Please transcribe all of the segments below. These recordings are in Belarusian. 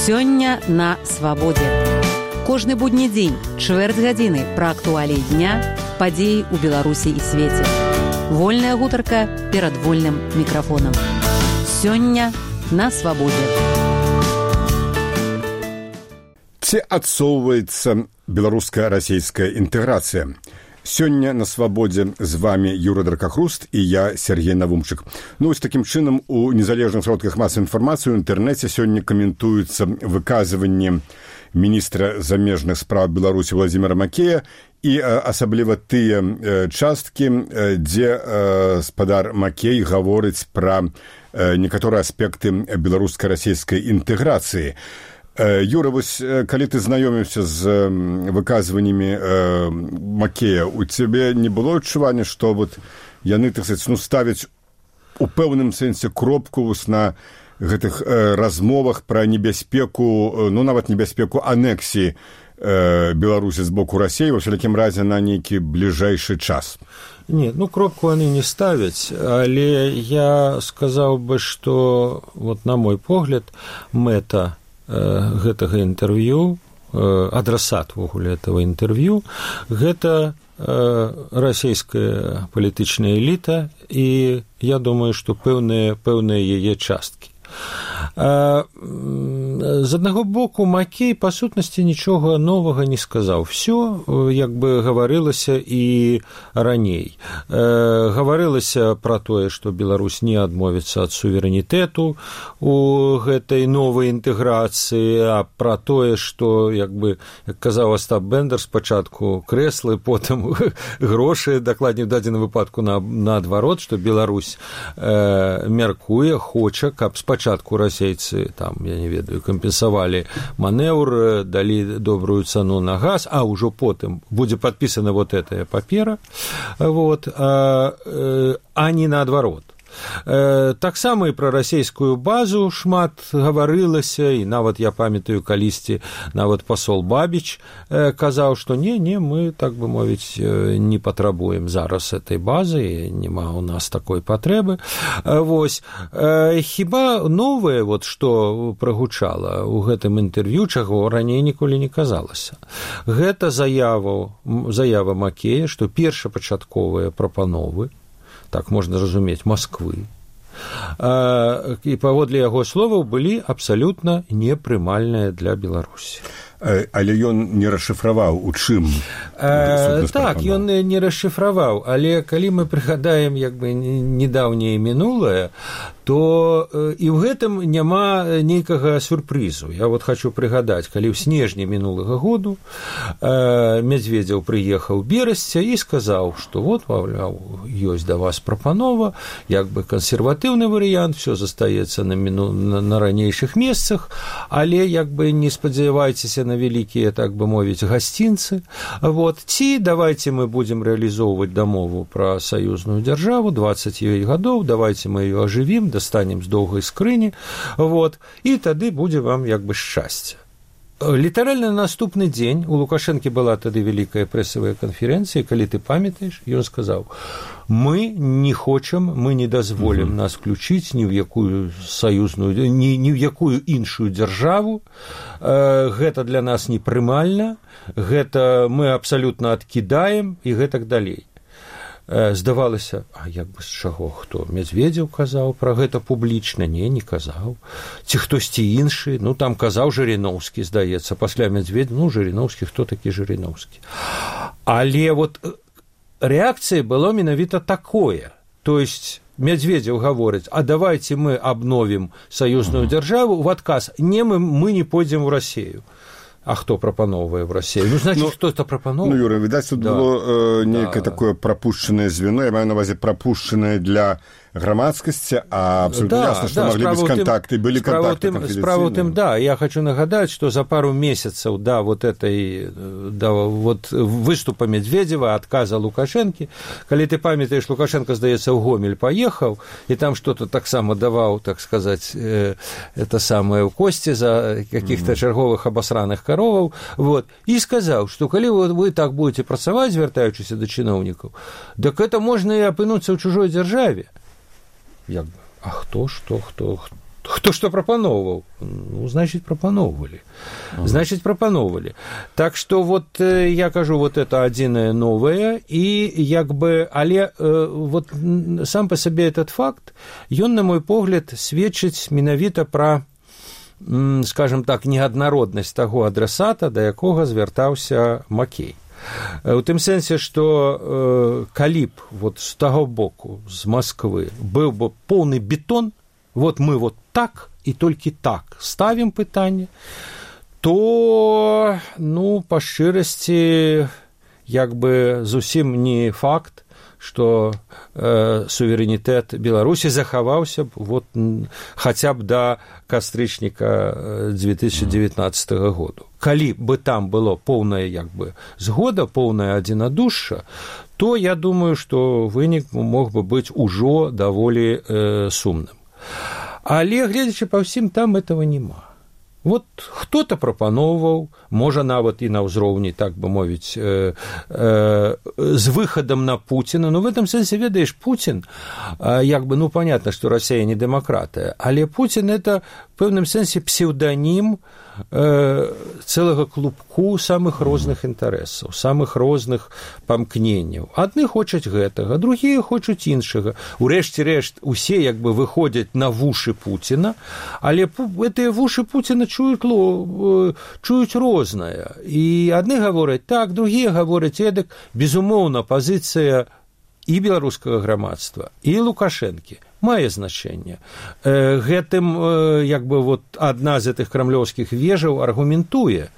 Сёння на свабодзе. Кожны будні дзень, чвэрць гадзіны пра актуаліі дня, падзеі ў Беларусі і свеце. Вольная гутарка перад вольным мікрафонам. Сёння на свабодзе. Ці адсоўваецца беларуска-расейская інтэграцыя? Сёння на свабодзе з вами Юра Дракахруст і я, Сергей Навумчык. Ось такім чынам у незалежных сродках масавай інфармацыі ў інтэрнэце сёння каментуюцца выказванні міністра замежных спраў Беларусі Владзіміра Макея і асабліва тыя часткі, дзе спадар Макей гаворыць пра некаторыя аспекты беларуска-расейскай інтэграцыі. Юра, вось, калі ты знаёміўся з выказваннямі Макея, у цябе не было адчування, што вот яны, так сказаць, ставяць у пэўным сэнсе кропку на гэтых размовах пра небяспеку, нават небяспеку анексіі Беларусі з боку Расіі, ва ўсялякім разе на нейкі бліжэйшы час? Не, кропку яны не ставяць, але я сказаў бы, што, вот, на мой погляд, мэта гэтага інтэрв'ю, адрасат вогуле этого інтэрв'ю, гэта расійская палітычная эліта, і я думаю, што пэўныя яе часткі. З аднаго боку, Макей, па сутнасці, нічога новага не сказаў. Всё, як бы, гаварылася і раней. Гаварылася пра тое, што Беларусь не адмовіцца ад суверэнітэту у гэтай новай інтэграцыі, а пра тое, што, як бы, як казаў Астап Бендер, спачатку крэслы, потым грошы, дакладней, у дадзеным выпадку наадварот, што Беларусь мяркуе, хоча, каб спачатку расейцы, там, я не ведаю, кампенсавалі манеўр, далі добрую цану на газ, а ўжо потым будзе падпісана вот этая папера, вот, а не наадварот. Таксама і пра расійскую базу шмат гаварылася, і нават я памятаю, калісьці нават пасол Бабіч казаў, што не, мы, так бы мовіць, не патрабуем зараз этой базы, няма ў нас такой патрэбы. Вось, хіба новае, вот, што прагучала ў гэтым інтэрв'ю, чаго раней ніколі не казалася. Гэта заява Макея, што першапачатковыя прапановы, так можна разумець, Масквы, і паводле яго словаў былі абсалютна непрымальныя для Беларусі. Але ён не расшыфраваў, у чым? Так, ён не расшыфраваў, але калі мы прыгадаем, як бы, недаўняе мінулае, то і ў гэтым няма нейкага сюрпрызу. Я вот хочу прыгадаць, калі ў снежні мінулага году Медведзеў прыехаў Берасця і сказаў, што вот, маўляў, ёсць да вас прапанова, як бы кансерватыўны варыянт, все застаецца на ранейшых месцах, але, як бы, не спадзявайцеся на вялікія, так бы мовіць, гасцінцы. Вот. Ці давайте мы будем реалізоўваць дамову пра саюзную дзяржаву, 20 ёй гадоў, давайте мы ее ажывім, достанем з доўгай скрыні, вот, і тады будзе вам, як бы, шчасце. Літаральна на наступны дзень у Лукашэнкі была тады вялікая прэсавая канферэнцыя, калі ты памятаеш, ён сказаў: мы не хочам, мы не дазволім нас включыць ні ў якую саюзную, ні ў якую іншую дзяржаву, гэта для нас непрымальна, гэта мы абсалютна адкідаем і гэтак далей. Здавалася, а як бы з чаго, хто? Медведзеў казаў пра гэта публічна? Не казаў. Ці хтосьці іншы? Там казаў Жыріноўскі, здаецца, пасля Медведзева, Жыріноўскі, хто такі Жыріноўскі? Але вот рэакцыя была менавіта такое. То есть Медведзеў гаворыць: а давайте мы обновим саюзную дзяржаву, в адказ: не, мы не пойдзем в Расію. А хто прапановвае в Расіі? Значыць, хто-то прапановвае. Юра, відаць, тут было нейкае такое прапушчанае звено, я маю на увазе прапушчанае для грамадскасці, а абсолютно ясна, што маглі быць кантакты, былі кантакты канфідэнцыйныя. Справа ў тым, я хочу нагадаць, што за пару месяцаў вот выступа Медведзева, адказа Лукашэнкі, калі ты памятаеш, Лукашенко, здаецца, ў Гомель паехаў, і там што-то таксама даваў, так сказаць, это самае ў косці за каких-то чарговых абасраных кароваў, вот, і сказаў, што калі вы так будете працаваць, звяртаючыся да чыноўнікаў, так это можна і апынуцца ў чужой дзяржаве. Як бы, а хто Хто што прапаноўваў? Ну, значит, прапаноўвалі. Значит, прапаноўвалі. Так што вот я кажу, вот это адзінае новае, і як бы, але вот сам па сабе этот факт, ён, на мой погляд, сведчыць менавіта пра, скажем так, неаднароднасць таго адрасата, да якога звяртаўся Макей. У тым сэнсе, што калі б вот з таго боку, з Масквы, быў бы поўны бетон, вот мы вот так і толькі так ставім пытанне, то, ну, па шчырасці, як бы зусім не факт, што суверэнітэт Беларусі захаваўся б вот, хаця б да кастрычніка 2019 году. Калі бы там было поўная як бы згода, поўная адзінадушша, то я думаю, што вынік мог бы быць ужо даволі сумным. Але, гледзячы па ўсім, там этого няма. Вот хто-то прапаноўваў, можа нават і на ўзроўні, так бы мовіць, з выхадам на Пуціна. Ну, в этом сэнсе, ведаеш, Путин, як бы, ну, понятно, что Россия не демократия, але Путин – это в пэўным сэнсе псевдонім цэлага клубку самых розных інтарэсаў, самых розных памкненняў. Адны хочуць гэтага, другія хочуць іншага. Урэшце рэшт, усе як бы выходзяць на вушы Пуціна, але гэтыя вушы Пуціна чуюць рознае. І адны гавораць так, другія гавораць эдак. Безумоўна, пазіцыя і беларускага грамадства, і Лукашэнкі мае значэнне. Гэтым, як бы, вот адна з гэтых крамлёўскіх вежаў аргументуе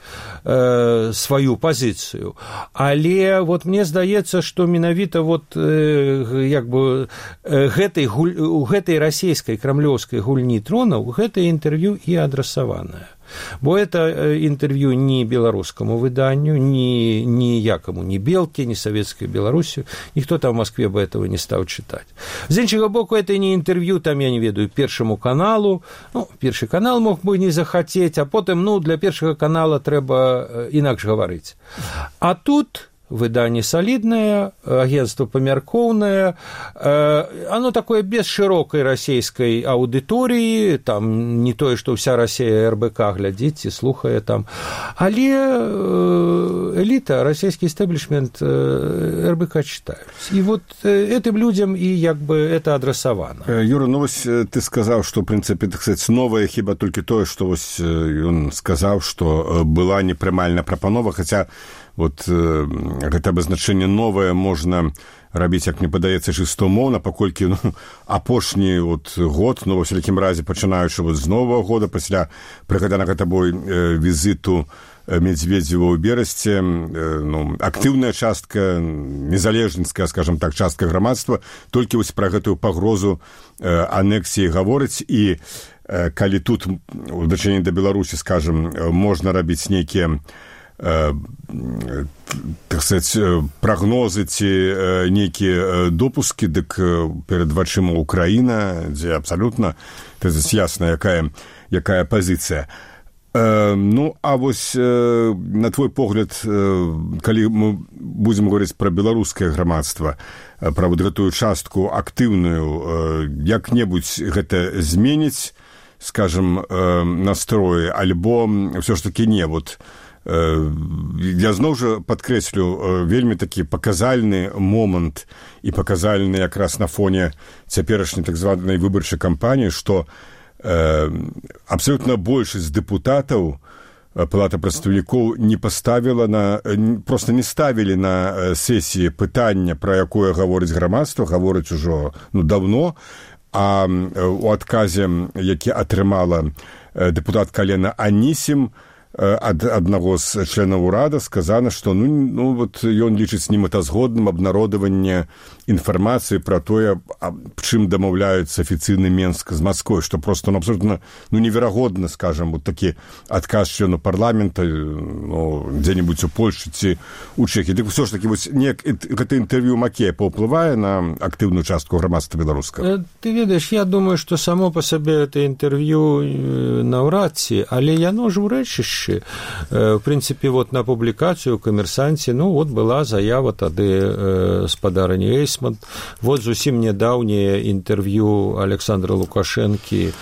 сваю пазіцыю. Але вот мне здаецца, што менавіта вот, як бы, у гэтай расійскай крамлёўскай гульні тронаў гэтае інтэрв'ю і адрасаванае. Бо это интервью ни белорусскому выданию, ни якому, ни Белке, ни Советской Беларусью. Никто там в Москве бы этого не стал читать. З іншага боку, это не интервью, там, я не ведаю, Першому каналу. Ну, Першы канал мог бы не захотеть, а потом, ну, для Першага канала трэба інакш гаварыць. А тут выданне солидное, агентство памяркоўнае, оно такое без широкой российской аудитории, там не тое, что вся Россия РБК глядзіць і слухае там, але элита, российский истеблишмент РБК читают. И вот этим людям и як бы это адресовано. Юра, ну вось ты сказал, что в принципе, так сказать, новое хіба толькі тое, что вось ён сказал, что была непрымальная прапанова, хотя вот гэта абазначэнне новае можна рабіць, як мне падаецца, чыста умоўна, паколькі, ну, апошні вот год, ну, ва всякім разе, пачынаючы вот з новага года, пасля прыгаданага табой візіту Медведзева ў Берасці, ну, актыўная частка, незалежніцкая, скажем так, частка грамадства, толькі вось пра гэтую пагрозу анексіі гаворыць, і калі тут у дачыненні да Беларусі, скажем, можна рабіць нейкія так сказать, прагнозы ці нейкія допускі, дык перад вачыма Украіна, дзе абсалютна ясна, якая пазіцыя. Ну, а вось на твой погляд, калі мы будзем гаварыць пра беларускае грамадства, пра вот гэтую частку актыўную, як-небудзь гэта зменіць, скажем, настроі, альбо ўсё ж такі не, вот я зноў жа падкрэслю вельмі такі паказальны момант і паказальны якраз на фоне цяперашняй так званай выбарчай кампаніі, што абсалютна большасць дэпутатаў Палата прадстаўнікоў не паставіла просто не ставілі на сесіі пытання, пра якое гаворыць грамадства, гаворыць ужо даўно, а у адказе, які атрымала дэпутатка Лена Анісім, ад аднаго з членаў урада сказана, што ну вот ён лічыць немэтазгодным абнародаванне інфармацыі пра тое, чым дамаўляецца афіцыйны Менск з Масквой, што просто абсолютно неверагодна, скажем, вот такі адказ члену парламента, дзе-небудзь у Польшчы ці у Чэхіі. Дык ўсё ж такі вось гэта інтэрв'ю Макея паўплывае на актыўную частку грамадства беларускага? Ты ведаеш, я думаю, што само па сабе гэта інтэрв'ю наўрад ці, але яно ж у рэчышчы становішчы. В прынцыпе, вот на публікацыю ў «Камерсанце», ну, вот была заява тады спадарыні Эйсман. Вот зусім нядаўняе інтэрв'ю Александра Лукашэнкі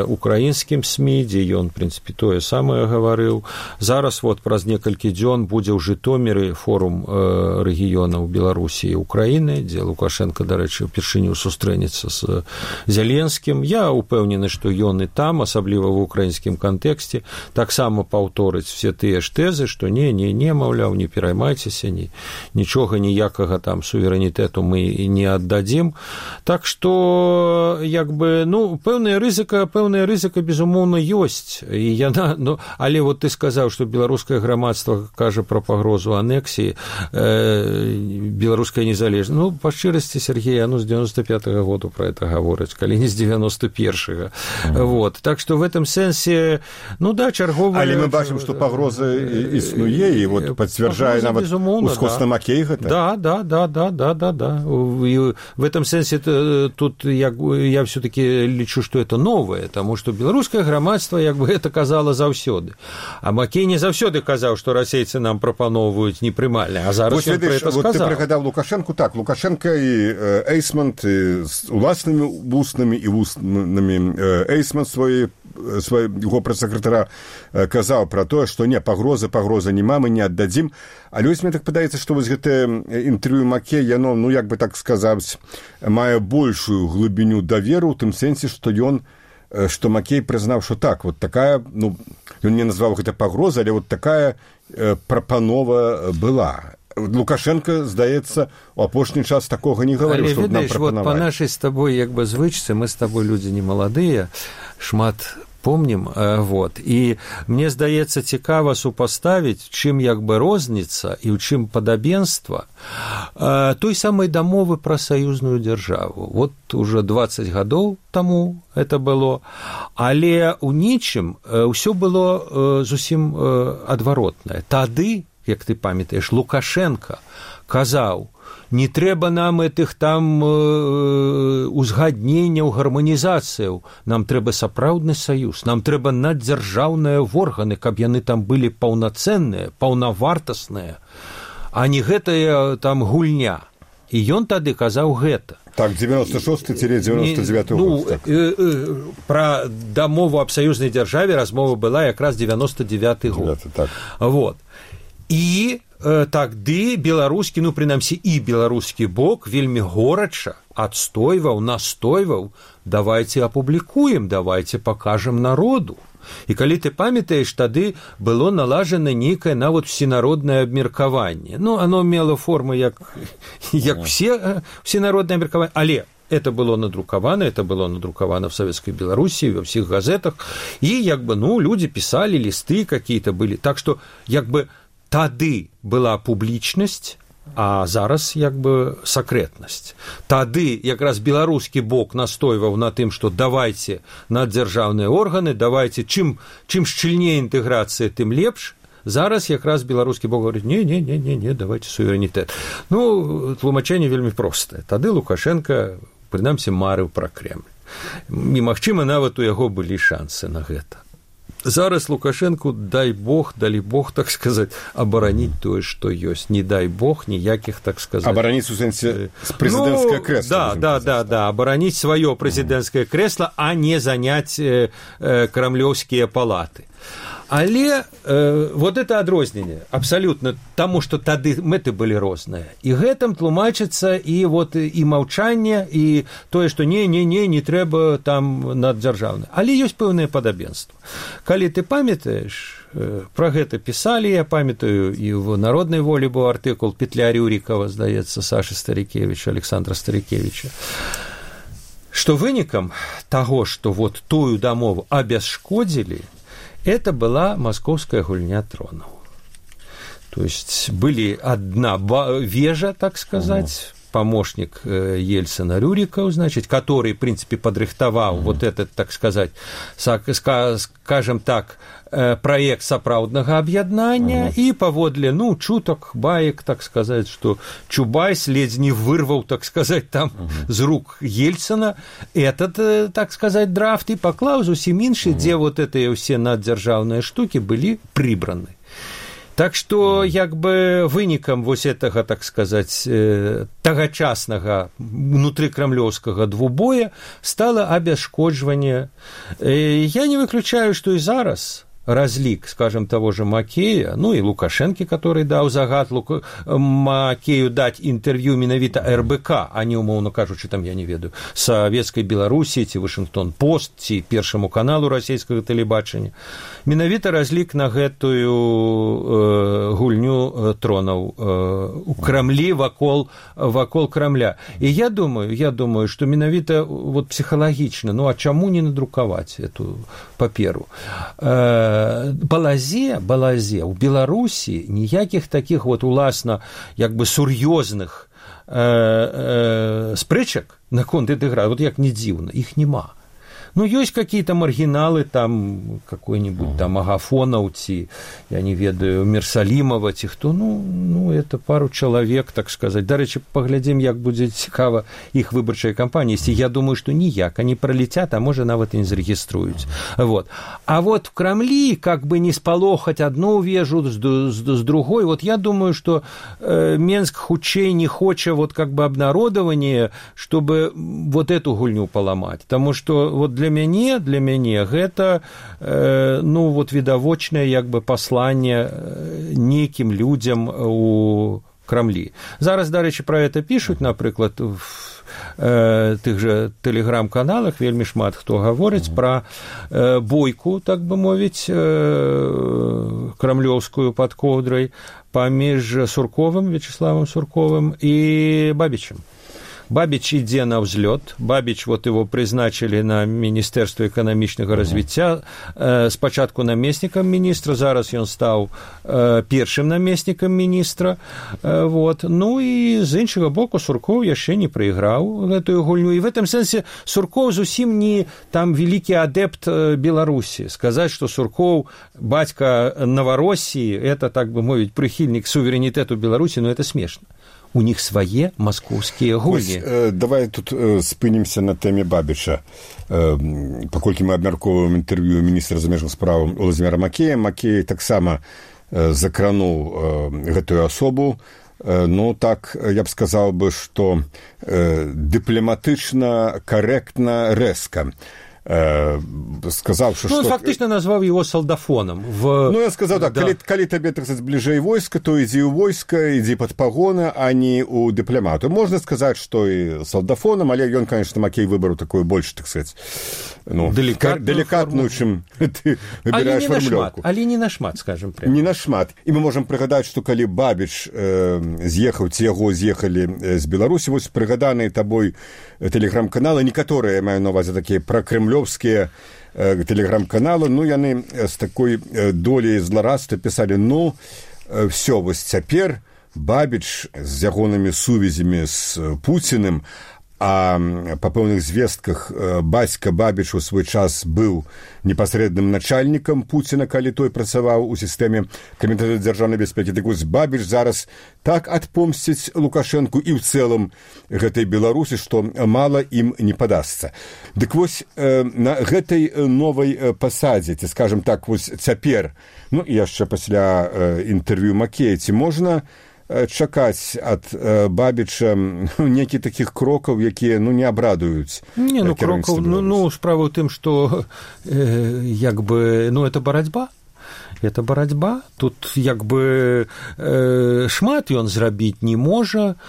украінскім СМІ, дзе ён, в прынцыпе, тое самае гаварыў. Зараз вот праз некалькі дзён будзе ў Жытоміры форум рэгіёнаў Беларусі і Украіны, дзе Лукашенко, дарэчы, упершыню сустрэнецца з Зеленскім. Я упэўнены, што ён і там, асабліва ў украінскім кантэксце, таксама паўторыць все тыя ж тэзы, што не, маўляў, не пераймайцеся, нічога, ніякага там суверэнітэту мы не аддадзім. Так што, як бы, ну, пэўная рызыка, безумоўна, ёсць. І яна, ну, але вот ты сказаў, што беларускае грамадства кажа пра пагрозу анексіі, беларуская незалежнасць. Ну, па шчырасці, Сергей, ну, з 95-го году пра это гаворыць, калі не з 91-го. Вот. Так што в этом сэнсе, ну да, чарговая... Але мы бачым, што пагроза існуе, і вот пацвярджае нават ускосна Макей гэта. Да. И в этом сэнсе тут я все-таки лічу, што это новое, таму што беларускае грамадства, як бы, это казала заўсёды. А Макей не заўсёды казаў, што расейцы нам прапаноўваюць непрымальна, а зараз ён пра это сказаў. Вот ты прыгадаў Лукашэнку, так, Лукашенко і Эйсман з уласнымі вуснамі і вуснамі Эйсман свайго прэс-сакратара казаў пра тое, што не, пагроза няма, мы не аддадзім. Але вось мне так падаецца, што вось гэтае інтэрв'ю Макей, яно, ну, як бы так сказаць, мае большую глыбіню даверу ў тым сэнсе, што Макей прызнаў, што так, вот такая, ну, ён не назваў гэта пагроза, але вот такая прапанова была. Лукашенко, здаецца, у апошні час такога не гаварыў, што нам прапанавалі. Вот па нашай з табой, як бы, звычцы, мы з табой людзі не маладыя, шмат помнім, вот, і мне здаецца цікава супаставіць, чым, як бы, розніца і ў чым падабенства той самай дамовы пра саюзную дзяржаву. Вот уже 20 гадоў таму это было, але ў нічым ўсё было зусім адваротнае. Тады, як ты памятаеш, Лукашенко казаў, не трэба нам этих там узгадненняў, гарманізацыяў, нам трэба сапраўдны саюз, нам трэба наддзяржаўныя органы, каб яны там былі паўнацэнныя, паўнавартасныя, а не гэтая там гульня. І ён тады казаў гэта. Так, 96-99 год. Ну, пра дамову аб саюзнай дзяржаве размова была якраз 99 год. Так. Вот. І тады беларускі, ну, прынамсі, і беларускі бок вельмі горача адстойваў, настойваў, давайце апублікуем, давайце пакажам народу. І калі ты памятаеш, тады было налажана нейкае нават всенароднае абмеркаванне. Ну, оно мело форму, як всенароднае абмеркаванне, але это было надрукавана в Советской Белоруссии, во всех газетах, і, як бы, ну, люди писали, листы какие-то были. Так что, як бы, тады была публічнасць, а зараз, як бы, сакрэтнасць. Тады якраз беларускі бок настойваў на тым, што давайце наддзяржаўныя органы, давайце, чым шчыльней інтэграцыя, тым лепш. Зараз якраз беларускі бок говорит, не, давайте суверэнітэт. Ну, тлумачэнне вельмі простае. Тады Лукашенко, прынамсі, марыў пра Кремль. І, магчыма, нават у яго былі шансы на гэта. Зараз Лукашенку, далі Бог, так сказаць, абараніць тое, што ёсць. Не дай Бог, ніякіх, так сказаць... Абараніць у сэнсе прэзідэнцкае крэсла. Да, абараніць сваё прэзідэнцкае крэсла, а не заняць крамлёўскія палаты. Але вот это адрозненне абсалютна, таму што тады мэты былі розныя. І гэтым тлумачыцца і вот і маўчанне, і тое, што не трэба там наддзяржаўна. Але ёсць пэўнае падабенства. Калі ты памятаеш, пра гэта пісалі, я памятаю, і в «Народнай волі» быў артыкул Петля Рюрікава, здаецца, Сашы Старікевіча, Александра Старікевіча, што вынікам таго, што вот тую дамову абясшкодзілі, это была московская гульня тронов. То есть были одна вежа, так сказать, помощник Ельцина Рюриков, значит, который, в принципе, подрыхтовал вот этот, так сказать, скажем так, проект сапраўднага аб'яднання, і паводле, ну, чутак, баек, так сказать, что Чубайс ледзь не вырвал, так сказать, там з рук Ельцина этот, так сказать, драфт и поклаў зусім іншы, где вот эти все наддзяржаўныя штуки были прибраны. Так што, як бы, вынікам вось гэтага, так сказаць, тагачаснага внутрыкрамлёўскага двубоя стала абясшкоджванне. Я не выключаю, што і зараз разлік, скажем, того же Макея, ну и Лукашенко, который дал загад Макею дать интервью менавіта РБК, а не, умоўно кажучы, там, я не ведаю, Советской Беларусі, ці Вашингтон-Пост, ці Першаму каналу расійскага тэлебачання. Менавіта разлік на гэтую гульню тронаў у Крамлі вакол Крамля. І я думаю, што менавіта вот псіхалагічна, ну а чаму не надрукаваць эту паперу? Балазе у Беларусі ніякіх такіх вот уласна як бы сур'ёзных спрэчак наконт этой гры, вот як не дзіўна, іх няма. Ну, есть какие-то маргиналы, там, какой-нибудь там Агафонов, я не ведаю, Мерсалимова, ці хто, ну, это пару человек, так сказать. До речі, поглядим, як буде цікава их выборчая кампания. Если я думаю, что ніяк, они пролетят, а может, нават и не зарегиструют. Вот. А вот в Кремле, как бы не спалохать одну вежу с другой, вот я думаю, что Менск хутчэй не хоча вот как бы обнародования, чтобы вот эту гульню поломать. Потому что вот для мяне гэта ну вот відавочнае як бы пасланне нейкім людзям у Крамлі. Зараз, дарэчы, пра гэта пішуць, напрыклад, в тых жа тэлеграм-каналах вельмі шмат хто гаворыць пра бойку, так бы мовіць, крамлёўскую пад коўдрай паміж Сурковым, Вячеславом Сурковым і Бабічем. Бабич ідзе на ўзлёт. Бабич, вот его призначили на Министерство экономичного развития. Спочатку наместником министра, зараз ён стаў першым наместником министра. Вот. Ну и з іншага боку Сурков яшчэ не прайграў гэтую гульню. И в этом сэнсе Сурков зусім не там великий адепт Беларусі. Сказать, что Сурков бацька Новороссии, это, так бы мовіць, прыхільнік суверэнітэту Беларусі, но это смешно. У них свае маскоўскія гульні. Давай тут спынімся на тэме Бабіча. Паколькі мы абмяркоўваем інтэрв'ю міністра замежных спраў Владзіміра Макея, Макей таксама закрануў гэтую асобу. Ну, так, я б сказаў бы, што дыпламатычна, карэктна, рэзка. Сказаў, што... Ну, он фактично назваў его солдафоном. Ну, я сказаў так, да. Калі табе, так сказаць, бліжэй войска, то ідзі ў войска, ідзі пад пагоны, а не ў дыпламату. Можна сказаць, што і солдафоном, але ён, конечно, Макей выбраў такую больш, так сказаць, ну, деликатную, чым ты выбираешь фармулёўку. Але не нашмат, скажем прямо. Не нашмат. І мы можам прыгадаць, што калі Бабіч з'ехаў, ці яго з'ехалі з Беларусі, вось прыгаданыя табой тэлеграм-каналы, некаторыя, я маю на увазе такія пракрэмлёвскія тэлеграм-каналы, ну, яны з такой долей зларадства пісалі, ну, всё, вось цяпер Бабіч з ягонымі сувязямі з Пуціным, а па пэўных звестках бацька Бабіч у свой час быў непасрэдным начальнікам Пуціна, калі той працаваў у сістэме Камітэта дзяржаўнай бяспекі. Так вось Бабіч зараз так адпомсціць Лукашэнку і ў цэлым гэтай Беларусі, што мала ім не падасца. Дык вось на гэтай новай пасадзе, ці, скажам так, вось цяпер, ну і яшчэ пасля інтэрв'ю Макея, ці можна чакаць ад Бабіча некі такіх крокаў, якія, ну, не абрадуюць. Не, ну, крокаў, ну, справа ў тым, што як бы, ну, это барацьба. Это барацьба. Тут як бы шмат ён зрабіць не можа,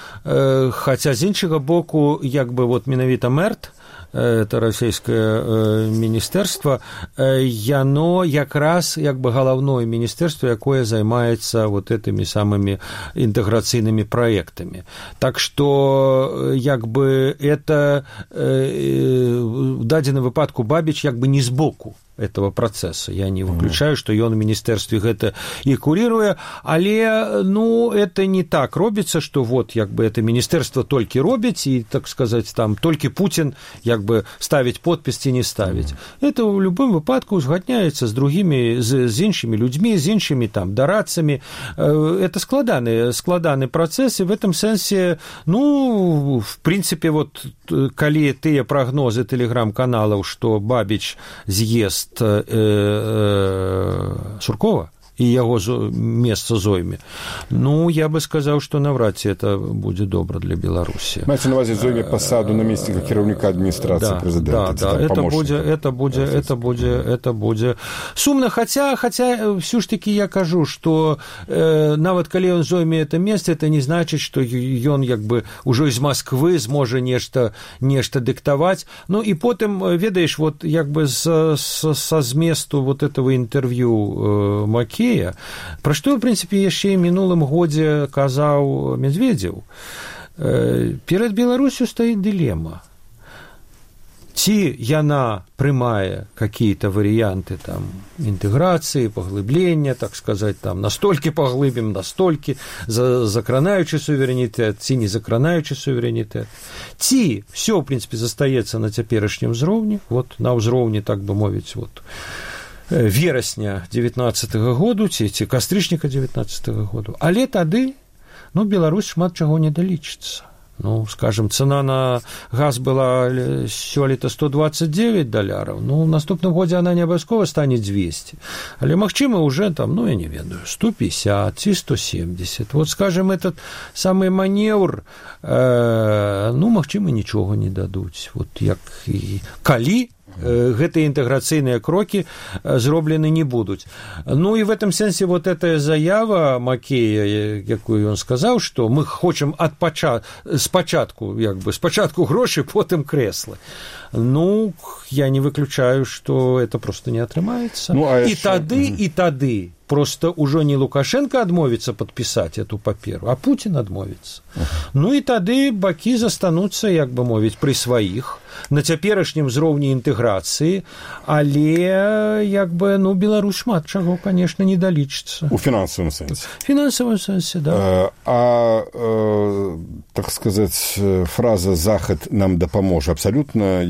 хаця з іншага боку, як бы вот менавіта МЭРТ, это расійскае міністэрства, яно якраз як бы галаўное міністэрства, якое займаецца вот этими самыми інтэграцыйнымі праектамі. Так што як бы это в дадзеным выпадку Бабіч як бы не збоку. этого процесса. Я не выключаю, што ён у міністэрстве гэта і куріруе, але, ну, это не так робіцца, што вот, як бы, это міністэрства толькі робіць, і, так сказаць, там, толькі Путін, як бы, ставіць подпіс ці не ставіць. Это ў любым выпадку узгадняецца з другімі, з іншымі людзьмі, з іншымі, там, дарадцамі. Это складаны працэс, і в этом сэнсе, ну, в прынцыпе, вот, калі тыя прагнозы тэлеграм-каналаў, што Бабіч з'ест Суркова і яго месца зойме, ну, я бы сказаў, што навряд ці это будзе добра для Беларусі. Маеце на ўвазе зойме пасаду намесніка кіраўніка адміністрацыі прэзідэнта. Да, это будзе сумна, хаця всё ж таки я кажу, што нават калі ён зойме это месца, это не значыць, што ён як бы ўжо з Масквы зможа нешта дыктаваць. Ну і потым, ведаеш, вот як бы са зместу вот этого інтэрв'ю Макея, пра што, в прынцыпе, яшчэ і мінулым годзе казаў Медведзеў, перад Беларусю стаіць дылема. Ці яна прымае какие-то варианты там інтэграцыі, паглыблення, так сказаць, там настолькі паглыбім, настолькі закранаючы суверэнітэт, ці не закранаючы суверэнітэт. Ці всё, в прынцыпе, застаецца на цяперашнім узроўні, вот на ўзроўні, так бы мовіць, вот верасня 19-го году, ці кастрычніка 19-го году. Але тады, ну, Беларусь шмат чаго не далічыцца. Ну, скажем, цена на газ была сёлета $129, ну, в наступным годзе она не абавязкова стане 200, але, магчыма, уже там, ну, я не ведаю, 150 ці 170. Вот, скажем, этот самый маневр, ну, магчыма, нічога не дадуць. Вот, як і калі гэтыя інтэграцыйныя крокі зроблены не будуць. Ну і в этом сэнсе вот эта заява Макея, якую ён сказаў, што мы хочам спачатку грошы, потым крэслы. Ну, я не выключаю, што это просто не атрымаецца. Ну, і тады просто ўжо не Лукашенко адмовіцца падпісаць эту паперу, а Путін адмовіцца. Ну і тады бакі застануцца, як бы мовіць, пры сваіх, на цяперашнім узроўні інтэграцыі, але, як бы, ну, Беларусь шмат чаго, конечно, не далічыцца. У фінансавым сэнсе. В фінансавым сэнсе, да. Так сказаць, фраза «Захад нам дапаможа» абсалютна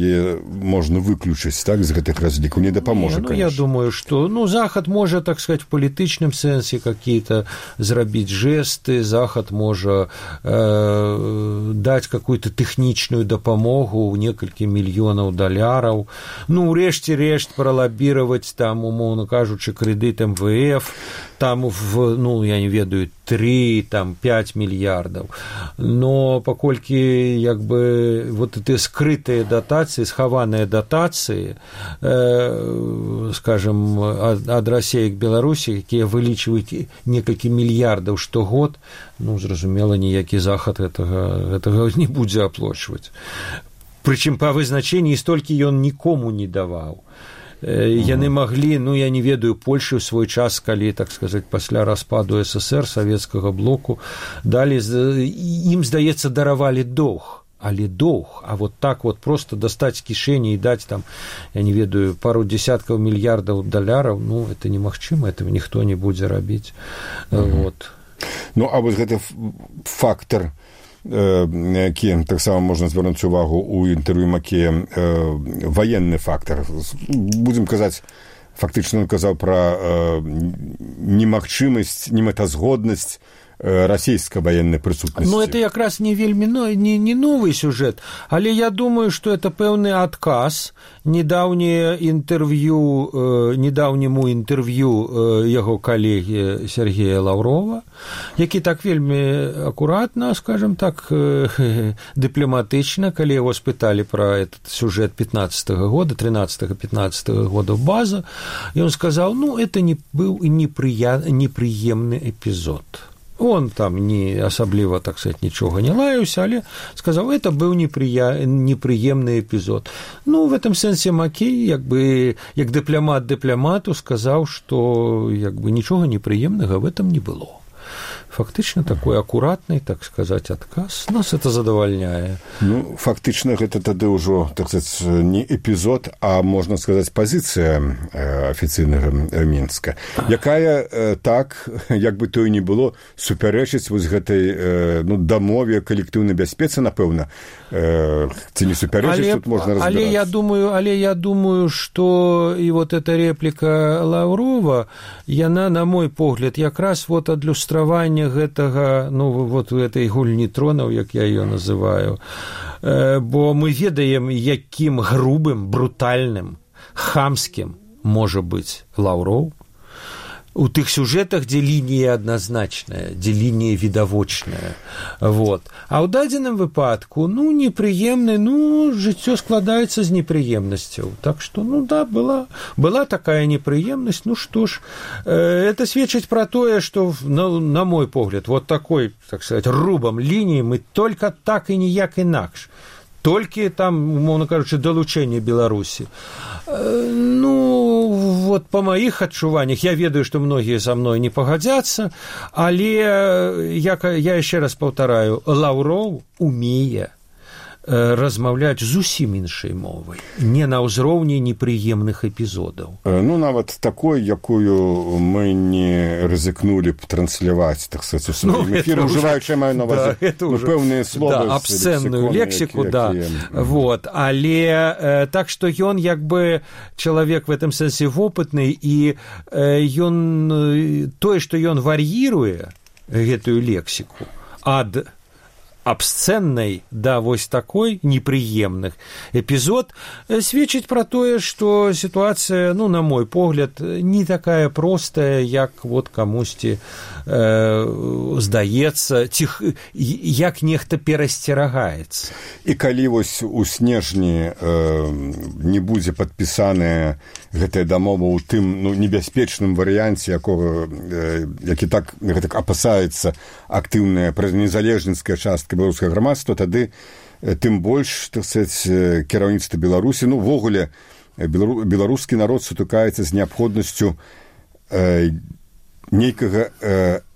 можна выключыць, так, з гэтых разлікаў, не дапаможа, конечно. Я думаю, што, ну, Захад можа, так сказаць, в палітычным сэнсе какие-то зрабіць жесты, Захад можа даць какую-то тэхнічную дапамогу ў некалькі мільёнаў даляраў, ну, рэшце-рэшт пралабіраваць там, умоўна кажучы, крэдыт МВФ, там, ну, я не ведаю, 3-5 мільярдаў. Но паколькі, як бы, вот эти скрытыя датацыі, схаваныя датацыі, скажем, ад Расіі к Беларусі, якія вылічваюць некалькі мільярдаў штогод, ну, зразумела, ніякі Захад гэтага не будзе аплачваць. Прычым па вызначэнні столькі ён нікому не даваў. Яны маглі, ну, я не ведаю, Польшы ў свой час, калі, так сказаць, пасля распаду СССР, савецкага блоку, далі, ім, здаецца, даравалі доўг. Але доўг, а вот так вот просто дастаць з кішэні і даць там, я не ведаю, пару дзесяткаў мільярдаў даляраў, ну, это немагчыма, этого ніхто не будзе рабіць. Вот. Ну, а вось гэты фактар, які таксама можна звярнуць увагу ў інтэрв'ю Макея, ваенны фактар. Будзем казаць, фактычна ён казаў пра немагчымасць, немэтазгоднасць расійскай ваеннай прысутнасці. Ну, это якраз не вельмі не новы сюжэт, але я думаю, што это пэўны адказ недаўняму інтэрв'ю яго калегі Сергея Лаўрова, які так вельмі акуратна, скажем так, дыпламатычна, калі яго спыталі пра этот сюжэт 15-го года, 13-15 года база, ён сказаў, ну, это не быў непрыемны эпізод. Он там не асабліва, так сказать, нічога не лаяўся, але сказаў, это быў непрыемны эпізод. Ну, в этом сэнсе Макей, як бы, як дыпламат дыпламату сказаў, што, як бы, нічога непрыемнага в этом не было. фактычна такой акуратны, так сказаць, адказ. Нас это задавальняе. Ну, фактычна гэта тады ўжо, так сказаць, не эпізод, а можна сказаць, пазіцыя афіцыйнага Мінска, якая так, як бы то і не было, супярэчыць вось гэтай дамове калектыўнай бяспецы, напэўна, ці не супярэчыць, тут можна разбірацца. Але я думаю, што і вот эта репліка Лаўрова, яна, на мой погляд, якраз вот адлюстраванне гэтага, ну, вот этой гульні тронаў, як я ее называю, бо мы ведаем, якім грубым, брутальным, хамскім можа быць Лаўров у тых сюжэтах, дзе лінія адназначная, дзе лінія відавочная. Вот. А ў дадзеным выпадку, ну, непрыемны, ну, жыццё складаецца з непрыемнасцяў. Так што, ну, да, была такая непрыемнасць, ну, што ж, это сведчыць пра тое, што, на мой погляд, вот такой, так сказать, рубам лініі мы только так і ніяк інакш. Толькі там, умоўна кажучы, далучэнне Беларусі. Ну, вот па маіх адчуваннях, я ведаю, што многія са мной не пагадзяцца, але я яшчэ раз паўтараю, Лаўров умее размаўляць зусім іншай мовай, не на ўзроўні непрыемных эпізодаў. Ну, нават такой, якую мы не рызыкнулі б трансляваць, так сказаць, у сваім эфіры, ўжываючы маю на увазі пэўныя словы, абсцэнную лексіку, да. Вот. Але так што ён як бы чалавек в этом сэнсе вопытны, і ён тое, што ён вар'іруе гэтую лексіку ад абсцэннай да вось такой непрыемных эпізод сведчыць пра тое, што сітуацыя, ну, на мой погляд, не такая простая, як вот камусьці здаецца, ці як нехта перасцерагаецца. І калі вось у снежні не будзе падпісаная гэтая дамова ў тым, ну, небяспечным варыянце, які так апасаецца актыўная незалежніцкая частка беларускага грамадства, тады тым больш, так сказаць, кіраўніцтва Беларусі, ну, увогуле беларускі народ сутыкаецца з неабходнасцю нейкага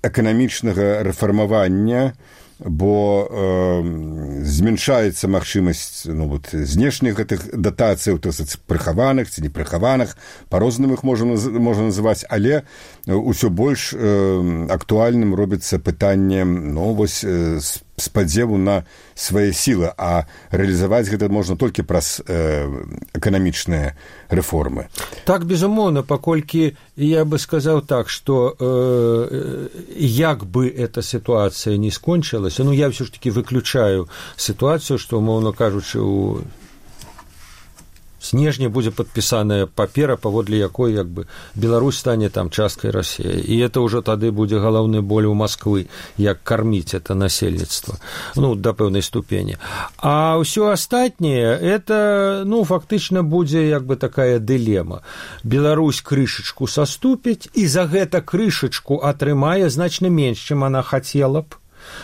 эканамічнага рэфармавання, бо змяншаецца магчымасць, ну, вот, знешніх гэтых датацыяў, так сказаць, прыхаваных ці непрыхаваных, па-рознаму іх можна называць, але ўсё больш актуальным робіцца пытанне, ну, вось, спадзеву на свае сілы, а рэалізаваць гэта можна толькі праз эканамічныя рэформы. Так, безумоўна, паколькі я бы сказаў так, што як бы эта сітуацыя не скончылася, ну, я ўсё ж такі выключаю сітуацыю, што, умоўна кажучы, у снежні будзе падпісаная папера, паводле якой як бы Беларусь стане там часткай Расіі. І это ўжо тады будзе галоўны боль у Масквы, як карміць это насельніцтва, ну, да пэўнай ступені. А ўсё астатняе, это, ну, фактычна будзе як бы такая дылема. Беларусь крышачку саступіць, і за гэта крышачку атрымае значна менш, чым она хацела б.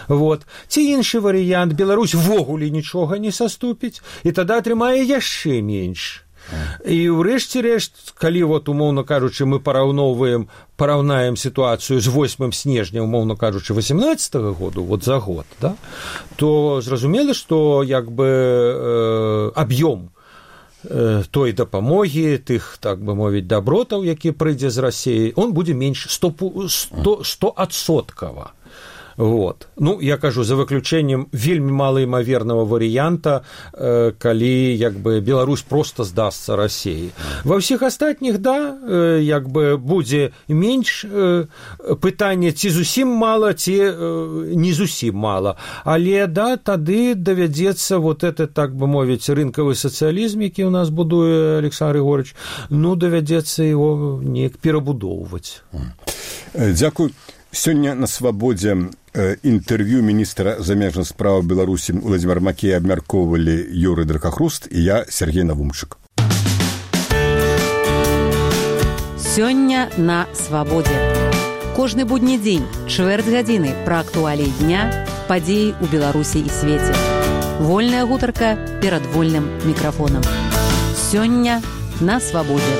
Вот. Ці іншы варыянт, Беларусь ввогуле нічога не саступіць, і тады атрымае яшчэ менш. І ўрэшце рэшт, калі, вот, умоўна кажучы, мы параўнаем сітуацыю з 8 снежня, умоўна кажучы, 18-го году, вот за год, да, то зразумела, што як бы аб'ём той дапамогі, тых, так бы мовіць, дабротаў, які прыйдзе з Расіі, он будзе менш 100%. Вот. Ну, я кажу, за выключэннем вельмі малаімавернага варыянта, калі як бы Беларусь проста здасца Расіі. Ва ўсіх астатніх, да, як бы будзе менш пытанне, ці зусім мала, ці не зусім мала. Але, да, тады давядзецца вот это, так бы мовіць, рынкавы сацыялізм, які ў нас будуе Александр Григорьевич, ну, давядзецца яго неяк перабудоўваць. Дзякуй. Сёння на свабодзе інтэрв'ю міністра замежных спраў Беларусі Уладзіміра Макея абмяркоўвалі Юрый Дракахруст і я, Сергей Навумчык. Сёння на свабодзе. Кожны будні дзень, чвэрць гадзіны пра актуаліі дня, падзеі ў Беларусі і свеце. Вольная гутарка перад вольным мікрафонам. Сёння на свабодзе.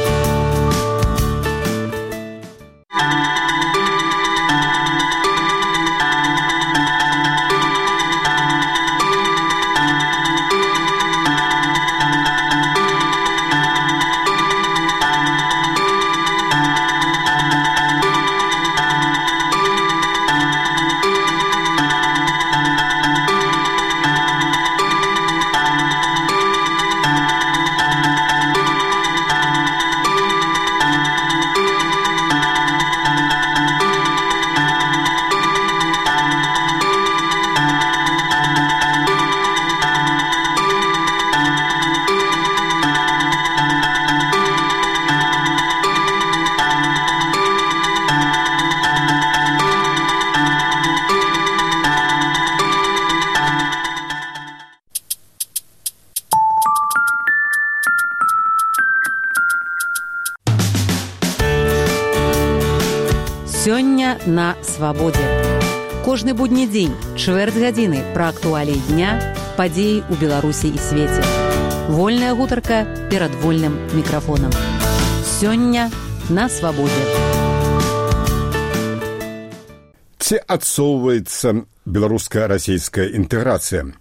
на свабодзе. Кожны будні дзень, чвэрць гадзіны пра актуаліі дня, падзеі ў Беларусі і свеце. Вольная гутарка перад вольным мікрафонам. Сёння на свабодзе. Ці адсоўваецца беларуска-расійская інтэграцыя?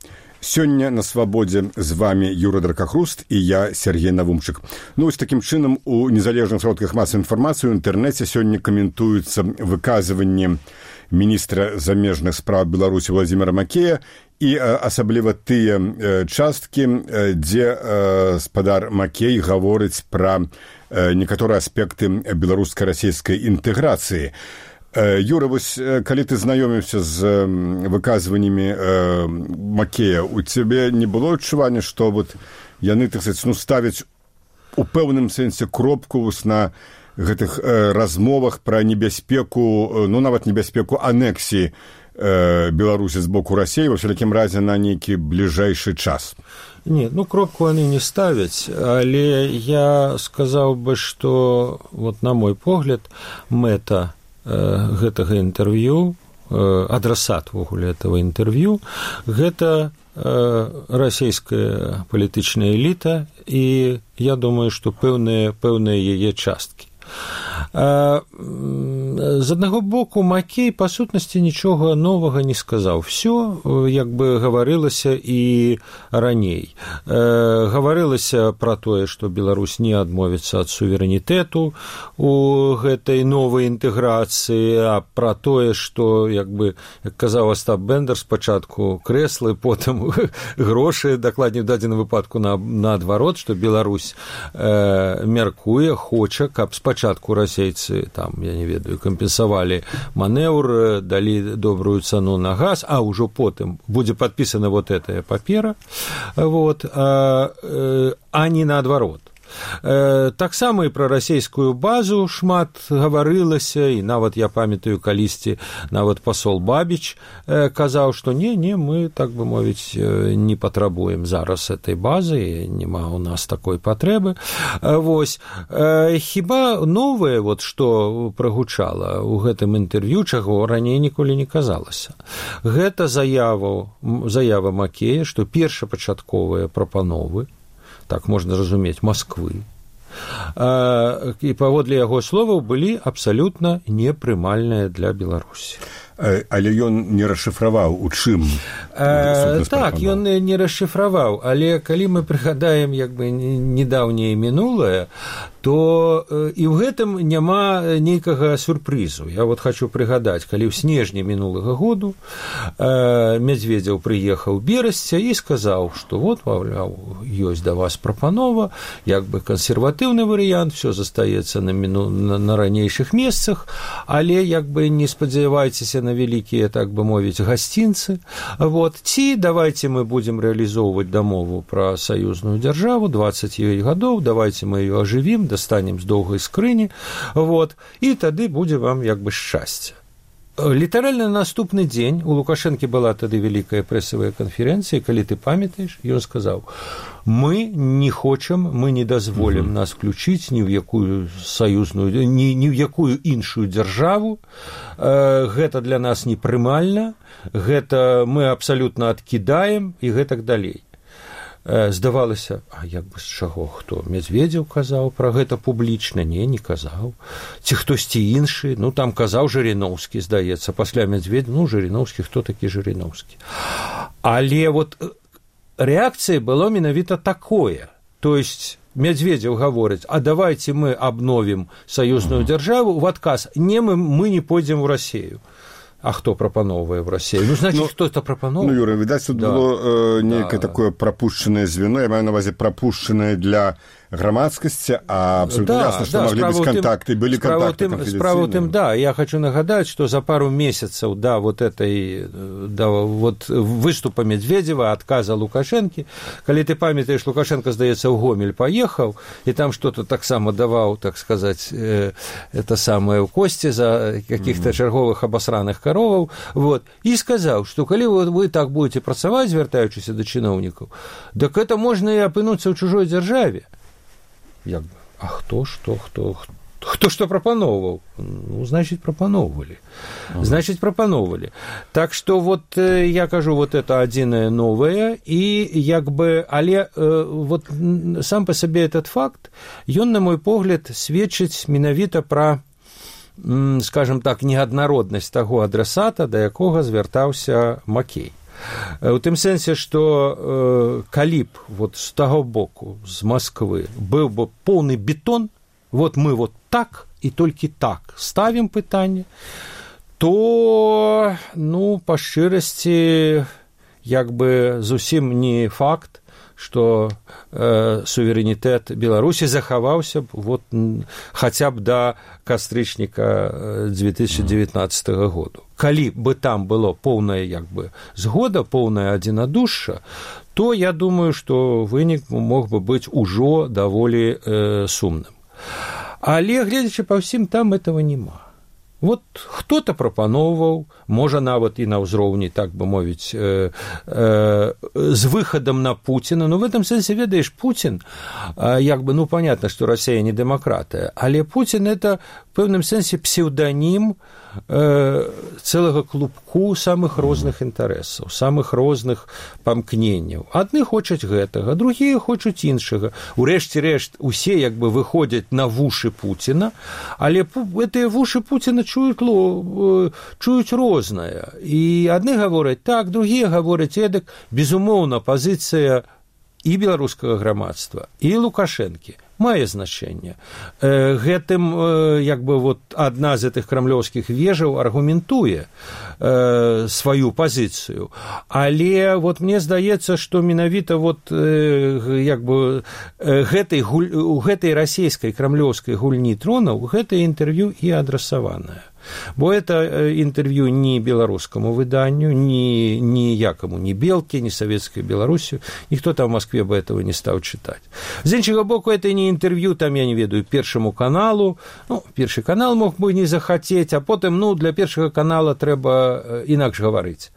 Сёння на свабодзе з вами Юра Дракахруст і я, Сергей Навумчык. Ну, ось такім чынам у незалежных сродках масавай інфармацыі ў інтэрнэце сёння каментуюцца выказванні міністра замежных спраў Беларусі Владзіміра Макея і асабліва тыя часткі, дзе спадар Макей гаворыць пра некаторыя аспекты беларуска-расійскай інтэграцыі. Юра, вось, калі ты знаёміўся з выказваннямі Макея, у цябе не было адчування, што вот яны, так сказаць, ставяць у пэўным сэнсе кропку на гэтых размовах пра небяспеку, ну, нават небяспеку анексіі Беларусі з боку Расіі, ва ўсялякім разе на нейкі бліжэйшы час? Не, ну, кропку яны не ставяць, але я сказаў бы, што, вот, на мой погляд, мэта гэтага інтэрв'ю, адрасат вогуле этого інтэрв'ю, гэта расійская палітычная эліта, і я думаю, што пэўныя яе часткі. З аднаго боку, Макей, па сутнасці, нічога новага не сказаў. Всё, як бы, гаварылася і раней. Гаварылася пра тое, што Беларусь не адмовіцца ад суверэнітэту у гэтай новай інтэграцыі, а пра тое, што, як бы, як казаў Астап Бендер, спачатку крэслы, потым грошы, дакладней у дадзеным выпадку наадварот, што Беларусь мяркуе, хоча, каб спачатку расейцы, там, я не ведаю, кампенсавалі манеўр, далі добрую цану на газ, а ўжо потым будзе падпісана вот этая папера, вот, а не наадварот. Таксама і пра расійскую базу шмат гаварылася, і нават я памятаю, калісьці нават пасол Бабіч казаў, што не, мы, так бы мовіць, не патрабуем зараз этой базы, няма ў нас такой патрэбы. Вось, хіба новае, вот, што прагучала ў гэтым інтэрв'ю, чаго раней ніколі не казалася. Гэта заява Макея, што першапачатковыя прапановы, так можна разумець, Масквы, і паводле яго словаў былі абсалютна непрымальныя для Беларусі. Але ён не расшыфраваў, у чым? Так, ён не расшыфраваў, але калі мы прыгадаем, як бы, недаўняе мінулае, то і ў гэтым няма нейкага сюрпрызу. Я вот хочу прыгадаць, калі ў снежні мінулага году Медведзеў прыехаў Берасця і сказаў, што вот, маўляў, ёсць да вас прапанова, як бы кансерватыўны варыянт, все застаецца на ранейшых месцах, але, як бы, не спадзявайцеся на вялікія, так бы мовіць, гасцінцы. Вот. Ці давайте мы будем рэалізоўваць дамову пра саюзную дзяржаву, 29 гадоў, давайте мы ее ажывім, достанем з доўгай скрыні, вот, і тады будзе вам, як бы, шчасце. Літаральна наступны дзень у Лукашэнкі была тады вялікая прэсавая канферэнцыя, калі ты памятаеш, ён сказаў: мы не хочам, мы не дазволім нас включыць ні ў якую саюзную, ні ў якую іншую дзяржаву, гэта для нас непрымальна, гэта мы абсалютна адкідаем і гэтак далей. Здавалася, а як бы з чаго, хто? Медведзеў казаў пра гэта публічна? Не казаў. Ці хтосьці іншы? Ну, там казаў Жыриноўскі, здаецца, пасля Медведзева, ну, Жыриноўскі, хто такі Жыриноўскі? Але вот рэакцыя была менавіта такое. То есть Медведзеў гаворыць: а давайте мы обновим саюзную дзяржаву, в адказ: не, мы не пойдзем у Расію. А хто прапаноўвае в Расію? Ну, значит, хто-то прапаноўвае. Ну, Юра, відаць, тут было нейкае такое прапушчанае звено, я маю на ўвазе прапушчанае для грамадскасці, а абсолютно ясно, што маглі быць кантакты, былі кантакты канфідэнцыйныя. Справа ў тым, да, я хочу нагадаць, што за пару месяцаў да вот этой, да вот выступа Медведзева, адказа Лукашэнкі, калі ты памятаеш, Лукашенко, здаецца, ў Гомель паехаў, і там што-то таксама даваў, так сказаць, это самае ў косці за каких-то чарговых абасраных кароваў, вот, і сказаў, што калі вы так будете працаваць, звяртаючыся да чыноўнікаў, так это можна і апынуцца ў чужой дзяржаве. Як бы, а хто Хто што прапаноўваў? Ну, значыць, прапаноўвалі. Значыць, прапаноўвалі. Так што, вот, я кажу, вот это адзінае новае, і як бы, але вот сам па сабе этот факт, ён, на мой погляд, сведчыць менавіта пра, скажем так, неаднароднасць таго адрасата, да якога звяртаўся Макей. У тым сэнсе, што калі б вот з таго боку, з Масквы, быў бы поўны бетон, вот мы вот так і толькі так ставім пытанне, то, ну, па шчырасці, як бы зусім не факт, што суверэнітэт Беларусі захаваўся б вот, хаця б да кастрычніка 2019 году. Калі бы там было поўная як бы згода, поўная адзінадушша, то я думаю, што вынік мог бы быць ужо даволі сумным. Але, гледзячы па ўсім, там этого няма. Вот хто-то прапаноўваў, можа нават і на ўзроўні, так бы мовіць, з выхадам на Пуціна. Ну, в этом сэнсе, ведаеш, Путин, як бы, ну, понятно, што Расія не дэмакратыя, але Путин – это в пэўным сэнсе псеўданім цэлага клубку самых розных інтарэсаў, самых розных памкненняў. Адны хочуць гэтага, другія хочуць іншага. Урэшце рэшт, усе як бы выходзяць на вушы Пуціна, але гэтыя вушы Пуціна чуюць рознае. І адны гавораць так, другія гавораць эдак. Безумоўна, пазіцыя і беларускага грамадства, і Лукашэнкі мае значэнне. Гэтым, як бы, вот, адна з гэтых крамлёўскіх вежаў аргументуе сваю пазіцыю. Але вот мне здаецца, што менавіта вот, як бы, у гэтай расійскай крамлёўскай гульні тронаў гэтае інтэрв'ю і адрасаванае. Бо это інтэрв'ю ні беларускаму выданню, ні якаму, ні Белке, ні Савецкай Беларусі. Ніхто там в Москве бы этого не стаў чытаць. З іншага боку, это не інтэрв'ю, там, я не ведаю, Першаму каналу. Ну, Першы канал мог бы не захацець, а потым, ну, для Першага канала трэба інакш гаварыць.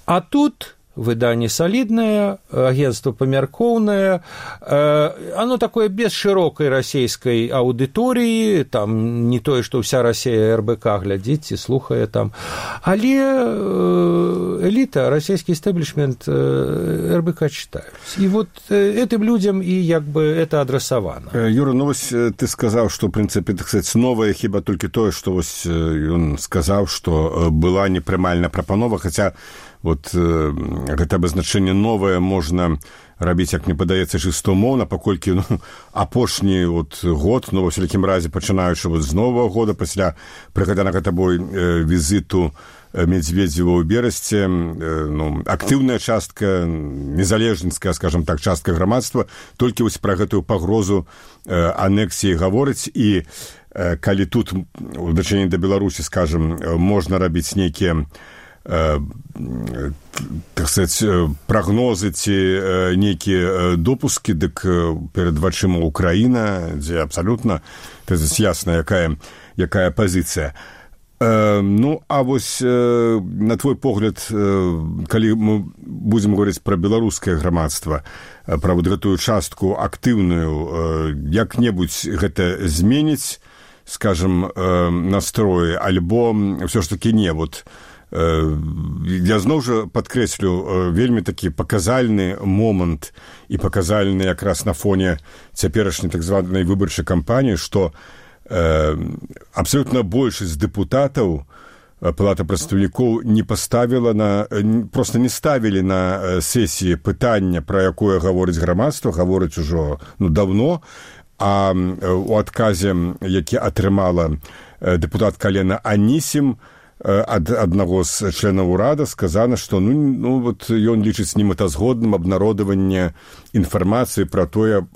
А тут выданне солидное, агентство памяркоўнае, оно такое без широкой расійскай аўдыторыі, там не тое, што ўся Расія РБК глядзіць і слухае там, але эліта, расійскі истеблишмент РБК читают. И вот этим людям и як бы это адресовано. Юра, ну вось ты сказаў, што, в принципе, так сказать, новае хіба толькі тое, што вось ён сказаў, што была непрымальная прапанова, хаця вот гэта абазначэнне новае можна рабіць, як мне падаецца, чыстамоўна, паколькі, ну, апошні вот год, ну, ва всякім разе, пачынаючы вот з Новага года, пасля прыгаданага табой візіту Медведзева ў Берасці, ну, актыўная частка, незалежніцкая, скажем так, частка грамадства, толькі вось пра гэтую пагрозу анексіі гаворыць, і калі тут у дачыненні да Беларусі, скажем, можна рабіць нейкія так сказать, прагнозы ці нейкія допускі, дык перад вачыма Украіна, дзе абсалютна ясна, якая пазіцыя. Ну, а вось на твой погляд, калі мы будзем гаварыць пра беларускае грамадства, пра вот гэтую частку актыўную, як-небудзь гэта зменіць, скажем, настроі, альбо ўсё ж такі не, вот я зноў жа падкрэслю вельмі такі паказальны момант і паказальны якраз на фоне цяперашняй так званай выбарчай кампаніі, што абсалютна большасць дэпутатаў Палата прадстаўнікоў не паставіла проста не ставілі на сесіі пытання, пра якое гаворыць грамадства, гаворыць ужо даўно, а у адказе, які атрымала дэпутатка Алена Анісім, ад аднаго з членаў урада сказана, што ну вот ён лічыць немэтазгодным абнародаванне інфармацыі пра тое,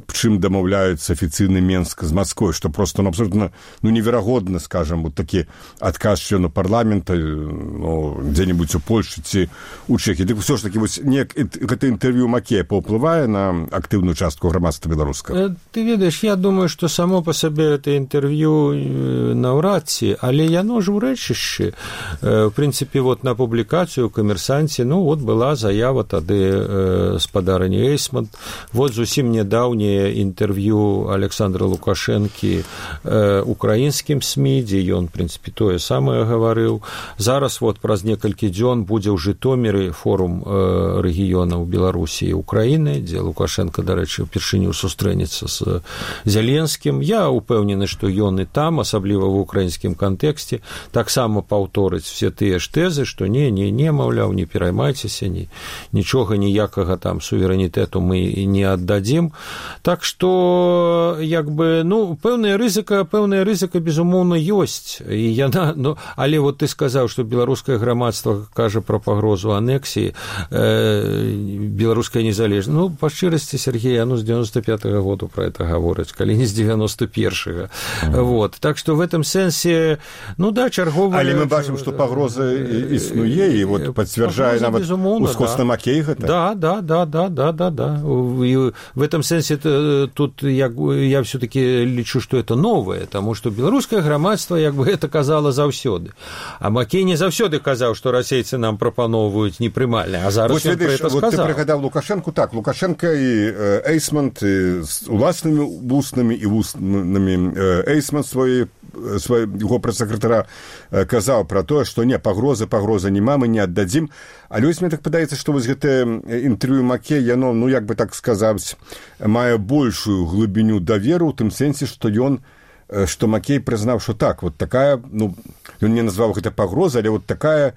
чым дамаўляецца афіцыйны Менск з Масквой, што просто абсолютна неверагодна, скажем, вот такі адказ члену парламента дзе-небудзь у Польшчы ці у Чэхіі. Дык усё ж такі вось гэта інтэрв'ю Макея паўплывае на актыўную частку грамадства беларускага? Ты ведаеш, я думаю, што само па сабе гэта інтэрв'ю наўрад ці, але яно ж у рэчышчы вышэйшы. В прынцыпе, вот на публікацыю ў «Камерсанце», ну, вот была заява тады спадарыні Эйсмонт. Вот зусім нядаўняе інтэрв'ю Александра Лукашэнкі украінскім СМІ, дзе ён, в прынцыпе, тое самае гаварыў. Зараз вот праз некалькі дзён будзе ў Жытоміры форум рэгіёнаў Беларусі і Украіны, дзе Лукашенко, дарэчы, упершыню сустрэнецца з Зеленскім. Я упэўнены, што ён і там, асабліва ў украінскім кантэксце, таксама паўторыць все тыя ж тэзы, што не, маўляў, не пераймайцеся, нічога, ніякага там суверэнітэту мы не аддадзім. Так што, як бы, ну, пэўная рызыка, безумоўна, ёсць. І яна, ну, але вот ты сказаў, што беларускае грамадства кажа пра пагрозу анексіі, беларуская незалежнасць. Ну, па шчырасці, Сергей, з 95-го году пра это гаворыць, калі не з 91-го. Вот. Так што в этом сэнсе, ну да, чарговая... Але мы бачым, што пагроза існуе, і вот пацвярджае нават ускосна Макей гэта. Да. И в этом сэнсе тут я все-таки лічу, што это новое, таму што беларускае грамадства, як бы, это казала заўсёды. А Макей не заўсёды казаў, што расейцы нам прапаноўваюць непрымальна, а зараз ён пра это сказаў. Вот ты прыгадаў Лукашэнку, так, Лукашенко і Эйсмонт з уласнымі вуснамі і вуснамі Эйсмонт свайго прэс-сакратара казаў пра тое, што не, пагроза няма, мы не аддадзім. Але вось мне так падаецца, што вось гэтае інтэрв'ю Макей, яно, ну, як бы так сказаць, мае большую глыбіню даверу, у тым сэнсе, што Макей прызнаў, што так, вот такая, ну, ён не назваў гэта пагроза, але вот такая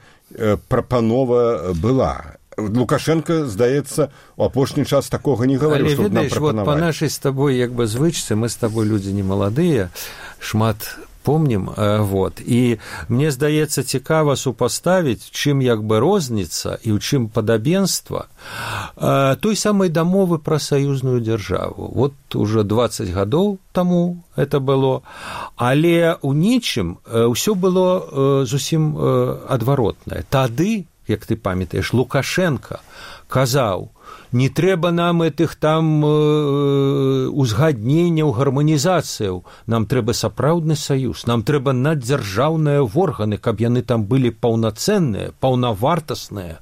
прапанова была. Лукашенко, здаецца, у апошні час такога не гаварыў, што нам прапанавалі. Вот па нашай з табой, як бы, звычцы, мы з табой людзі не маладыя, шмат помнім, вот, і мне здаецца цікава супаставіць, чым як бы розніца і ў чым падабенства той самай дамовы пра саюзную дзяржаву. Вот уже 20 гадоў таму это было, але ў нічым ўсё было зусім адваротнае. Тады, як ты памятаеш, Лукашенко казаў, не трэба нам этих там узгадненняў, гарманізацыяў, нам трэба сапраўдны саюз, нам трэба наддзяржаўныя органы, каб яны там былі паўнацэнныя, паўнавартасныя,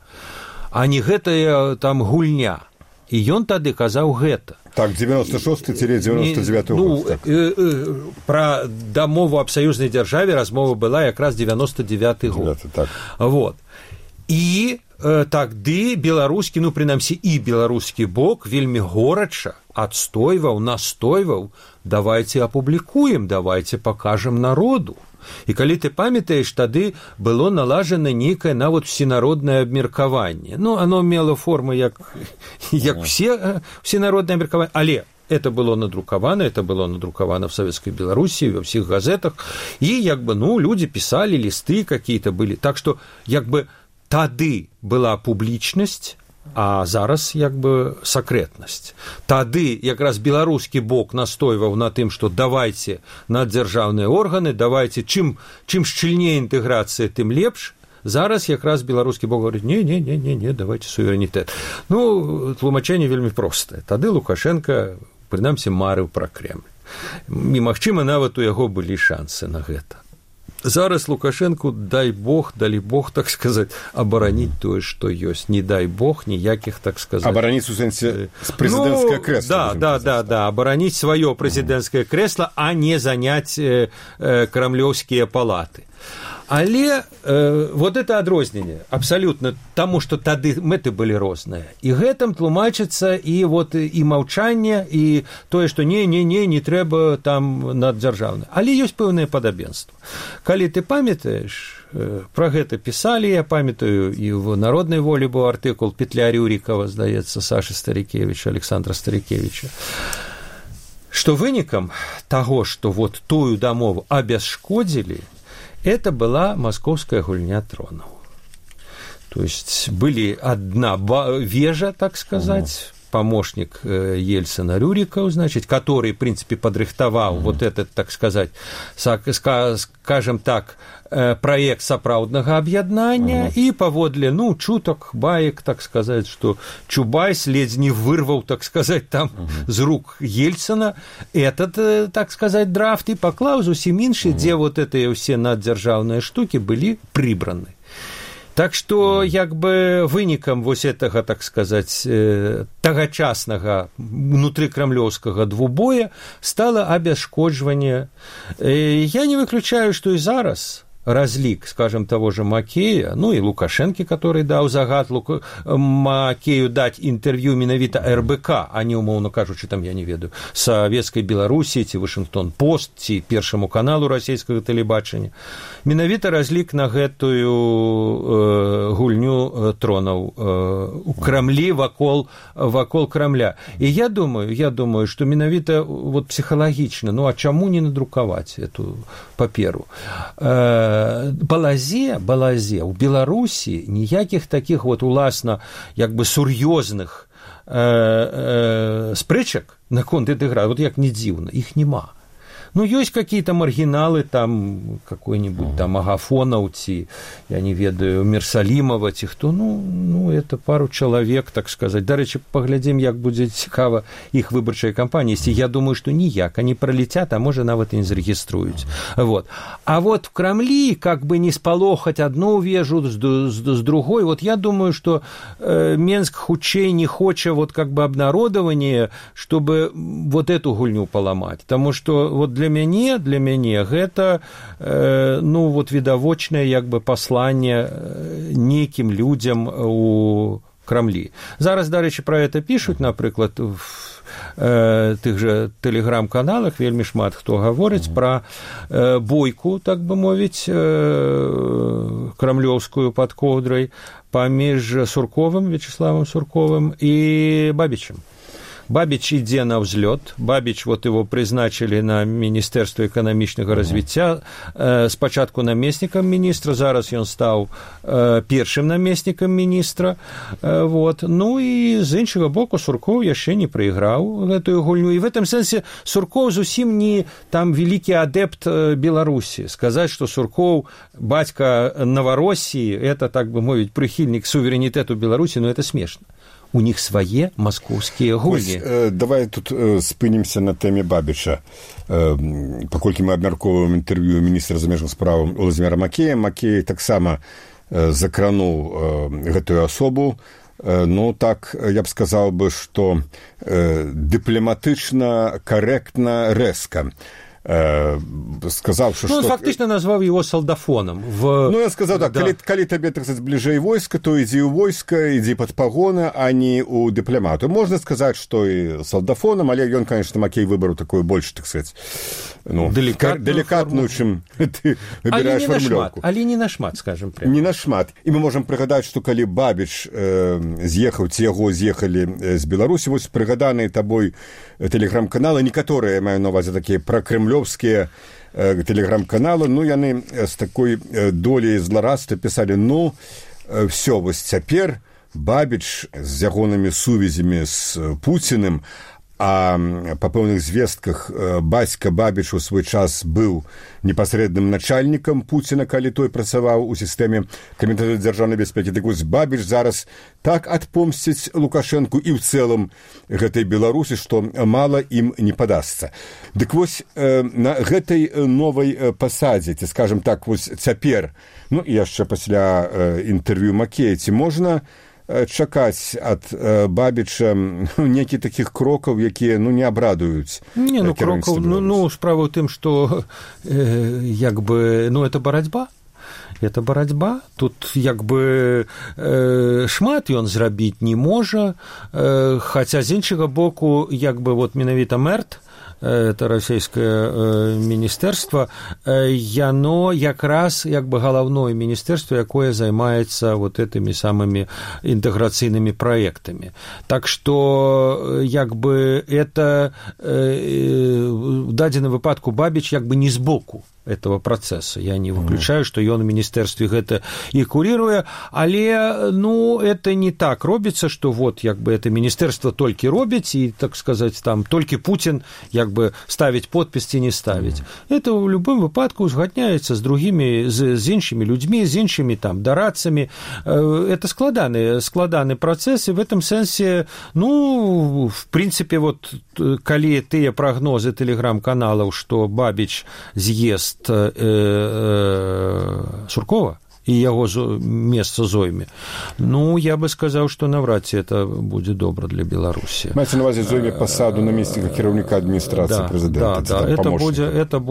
а не гэтая там гульня. І ён тады казаў гэта. Так, 96-99 год. Так. Пра дамову аб саюзнай дзяржаве размова была якраз 99 год. Так. Вот. І тады беларускі, ну, прынамсі, і беларускі бок вельмі горача настойваў, давайце апублікуем, давайце пакажам народу. І калі ты памятаеш, тады было налажана нейкае нават всенароднае абмеркаванне. Ну, оно мело форму як всенароднае абмеркаванне, але это было надрукавана в Советской Белоруссии, во всех газетах, і як бы, ну, люди писали, листы какие-то были. Так что, як бы, тады была публічнасць, а зараз як бы сакрэтнасць. Тады якраз беларускі бок настойваў на тым, што давайце наддзяржаўныя органы, давайце, чым шчыльней інтэграцыя, тым лепш. Зараз якраз беларускі бок говорит, не, давайте суверэнітэт. Ну, тлумачэнне вельмі простае. Тады Лукашенко, прынамсі, марыў пра Кремль. І, магчыма, нават у яго былі шансы на гэта. Зараз Лукашенку, далі Бог, так сказаць, абараніць тое, што ёсць. Не дай Бог, ніякіх, так сказаць... Абараніць у сэнсе прэзідэнцкае крэсла. Да, абараніць сваё прэзідэнцкае крэсла, а не заняць крамлёўскія палаты. Але вот это адрозненне абсалютна таму, што тады мэты былі розныя. І гэтым тлумачыцца і вот і маўчанне, і тое, што не трэба там наддзяржаўна. Але ёсць пэўнае падабенства. Калі ты памятаеш, пра гэта пісалі, я памятаю, і в «Народнай волі» быў артыкул Петля Рюрікава, здаецца, Сашы Старікевіча, Александра Старікевіча, што вынікам таго, што вот тую дамову абясшкодзілі, это была московская гульня тронов. То есть были одна вежа, так сказать, помощник Ельцина Рюриков, значит, который, в принципе, подрыхтовал вот этот, так сказать, скажем так, проект сапраўднага аб'яднання, і паводле, чутак, баек, так сказать, что Чубайс ледзь не вырвал, так сказать, там з рук Ельцина этот, так сказать, драфт и поклаў зусім іншы, дзе вот этыя ўсе наддзяржаўныя штукі былі прыбраны. Так што, як бы, вынікам вось гэтага, так сказаць, тагачаснага внутрыкрамлёўскага двубоя стала абясшкоджванне. Я не выключаю, што і зараз разлік, скажем, того же Макея, и Лукашенко, который дал загад Макею дать интервью менавіта РБК, а не, умоўно кажучы, там, я не ведаю, Савецкай Беларусі, ці Вашингтон-Пост, ці Першаму каналу расійскага тэлебачання. Менавіта разлік на гэтую гульню тронаў у Крамлі вакол Крамля. І я думаю, што менавіта вот псіхалагічна, а чаму не надрукаваць эту паперу? Балазе у Беларусі ніякіх такіх вот уласна як бы сур'ёзных спрэчак наконт этой гры, вот як не дзіўна, іх няма. Ёсць какие-то маргіналы, там, какой-нибудь там Агафонаў, ці, я не ведаю, Мерсалімова, ці хто, это пару чалавек, так сказать. Дарэчы, паглядзім, як будзе цікава іх выбарчая кампанія. Я думаю, што ніяк, они пролетят, а можа нават і не зарэгіструюць. Вот. А вот в Крамлі, как бы не спалохаць одну вежу с другой, вот я думаю, что Менск хутчэй не хоча вот как бы обнародование, чтобы вот эту гульню поломать. Потому что вот для мяне гэта вот відавочнае як бы пасланне нейкім людзям у Крамлі. Зараз, дарэчы, пра гэта пішуць, напрыклад, в тых же тэлеграм-каналах вельмі шмат хто гаворыць пра бойку, так бы мовіць, крамлёўскую пад коўдрай паміж Сурковым, Вячеславом Сурковым і Бабічем. Бабич ідзе на ўзлёт. Бабич, вот его прызначылі на Міністэрства эканамічнага развіцця, спачатку намеснікам міністра, зараз ён стаў першым намеснікам міністра. Вот. І з іншага боку Суркоў яшчэ не прайграў гэтую гульню. І в этом сэнсе Суркоў зусім не там вялікі адэпт Беларусі. Сказаць, што Суркоў бацька Новороссіі, это, так бы мовіць, прыхільнік суверэнітэту Беларусі, это смешна. У них свае маскоўскія гульні. Давай тут спынімся на тэме Бабіча. Паколькі мы абмяркоўваем інтэрв'ю міністра замежных спраў Владзіміра Макея, Макей таксама закрануў гэтую асобу. Так, я б сказаў бы, што дыпламатычна, карэктна, рэзка. Сказаў, што... Он фактично назваў его солдафоном. Я сказаў, так, калі табе, так сказаць, бліжэй войска, то ідзі ў войска, ідзі пад пагоны, а не ў дыпламату. Можна сказаць, што і солдафоном, але ён, конечно, Макей выбраў такую больш, так сказаць, делікатную, чым ты выбіраеш фармулёўку. Але не нашмат, скажем прямо. Не нашмат. І мы можам прыгадаць, што калі Бабіч з'ехаў, ці яго з'ехалі з Беларусі, вось прыгаданыя табой тэлеграм-каналы, некаторыя, маю на увазе, такія пракрэмлёвскія тэлеграм-каналы, яны з такой долей зларадства пісалі, все, вось цяпер Бабіч з ягонымі сувязямі з Пуціным, а па пэўных звестках бацька Бабіч у свой час быў непасрэдным начальнікам Пуціна, калі той працаваў у сістэме камітэта дзяржаўнай бяспекі. Так вось Бабіч зараз так адпомсціць Лукашэнку і ў цэлым гэтай Беларусі, што мала ім не падасца. Дык вось на гэтай новай пасадзе, ці, скажам так, вось цяпер, і яшчэ пасля інтэрв'ю Макея, ці можна чакаць ад Бабіча некі такіх крокаў, якія не абрадуюць крокаў, справа ў тым, што як бы, это барацьба. Это барацьба. Тут як бы шмат ён зрабіць не можа, хаця з іншага боку, як бы вот менавіта МЭРТ, это расійскае міністэрства, яно якраз як бы галаўное міністэрства, якое займаецца вот этими самыми інтэграцыйнымі праектамі. Так што як бы это в дадзеным выпадку Бабіч як бы не збоку. этого процесса. Я не выключаю, што ён у міністэрстве гэта і куріруе, але, ну, это не так робіцца, што вот, як бы, это міністэрства толькі робіць, і, так сказаць, там, толькі Путін, як бы, ставіць подпіс ці не ставіць. Это ў любым выпадку узгадняецца з другімі, з іншымі людзьмі, з іншымі, там, дарадцамі. Это складаны працэс, і в этом сэнсе, ну, в прынцыпе, вот, калі тыя прагнозы тэлеграм-каналаў, што Бабіч з'ест Суркова і яго месца зойме, ну, я бы сказаў, што навряд ці это будзе добра для Беларусі. Маеце на ўвазе зойме пасаду намесніка кіраўніка адміністрацыі прэзідэнта. Да, это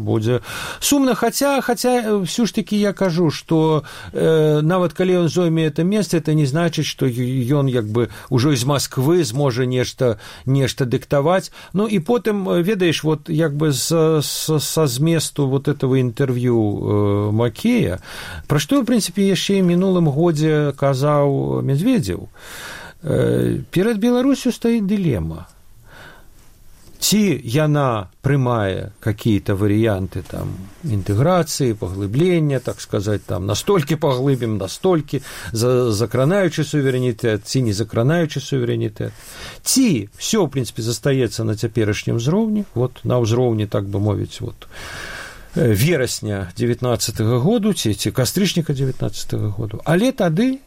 будзе сумна, хаця всё ж таки я кажу, што нават калі ён зойме это месца, это не значыць, што ён як бы ўжо з Масквы зможа нешта дыктаваць. Ну і потым, ведаеш, вот як бы са зместу вот этого інтэрв'ю Макея, пра што, в прынцыпе, яшчэ і мінулым годзе казаў Медведзеў, перад Беларусю стаіць дылема. Ці яна прымае какие-то варианты там інтэграцыі, паглыблення, так сказать, там настолькі паглыбім, настолькі закранаючы суверэнітэт, ці не закранаючы суверэнітэт. Ці всё, в прынцыпе, застаецца на цяперашнім узроўні, вот на ўзроўні, так бы мовіць, вот верасня 19-го году, ці кастрычніка 19-го году. Але тады,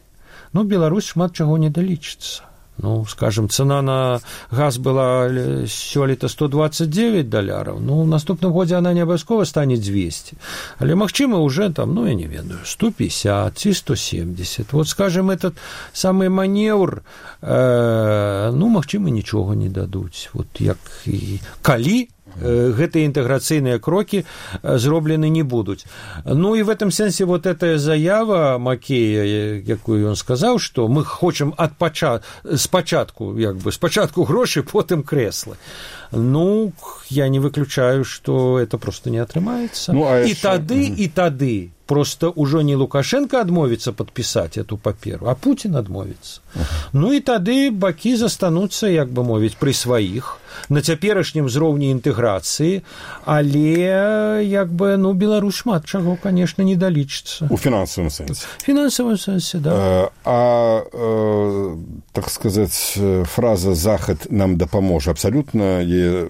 ну, Беларусь шмат чаго не далічыцца. Ну, скажем, цена на газ была сёлета $129, ну, в наступным годзе она не абавязкова стане 200, але, магчыма, уже там, ну, я не ведаю, 150 ці 170. Вот, скажем, этот самый маневр, ну, магчыма, нічога не дадуць. Вот як і калі гэтыя інтэграцыйныя крокі зроблены не будуць. Ну і в этом сэнсе вот эта заява Макея, якую ён сказаў, што мы хочам спачатку грошы, потым крэслы. Ну, я не выключаю, што это просто не атрымаецца. Ну, і тады просто ўжо не Лукашенко адмовіцца падпісаць эту паперу, а Путін адмовіцца. Ну і тады бакі застануцца, як бы мовіць, пры сваіх, на цяперашнім узроўні інтэграцыі, але, як бы, ну, Беларусь шмат чаго, конечно, не далічыцца. У фінансавым сэнсе. В фінансавым сэнсе, да. Так сказаць, фраза «Захад нам дапаможа» абсалютна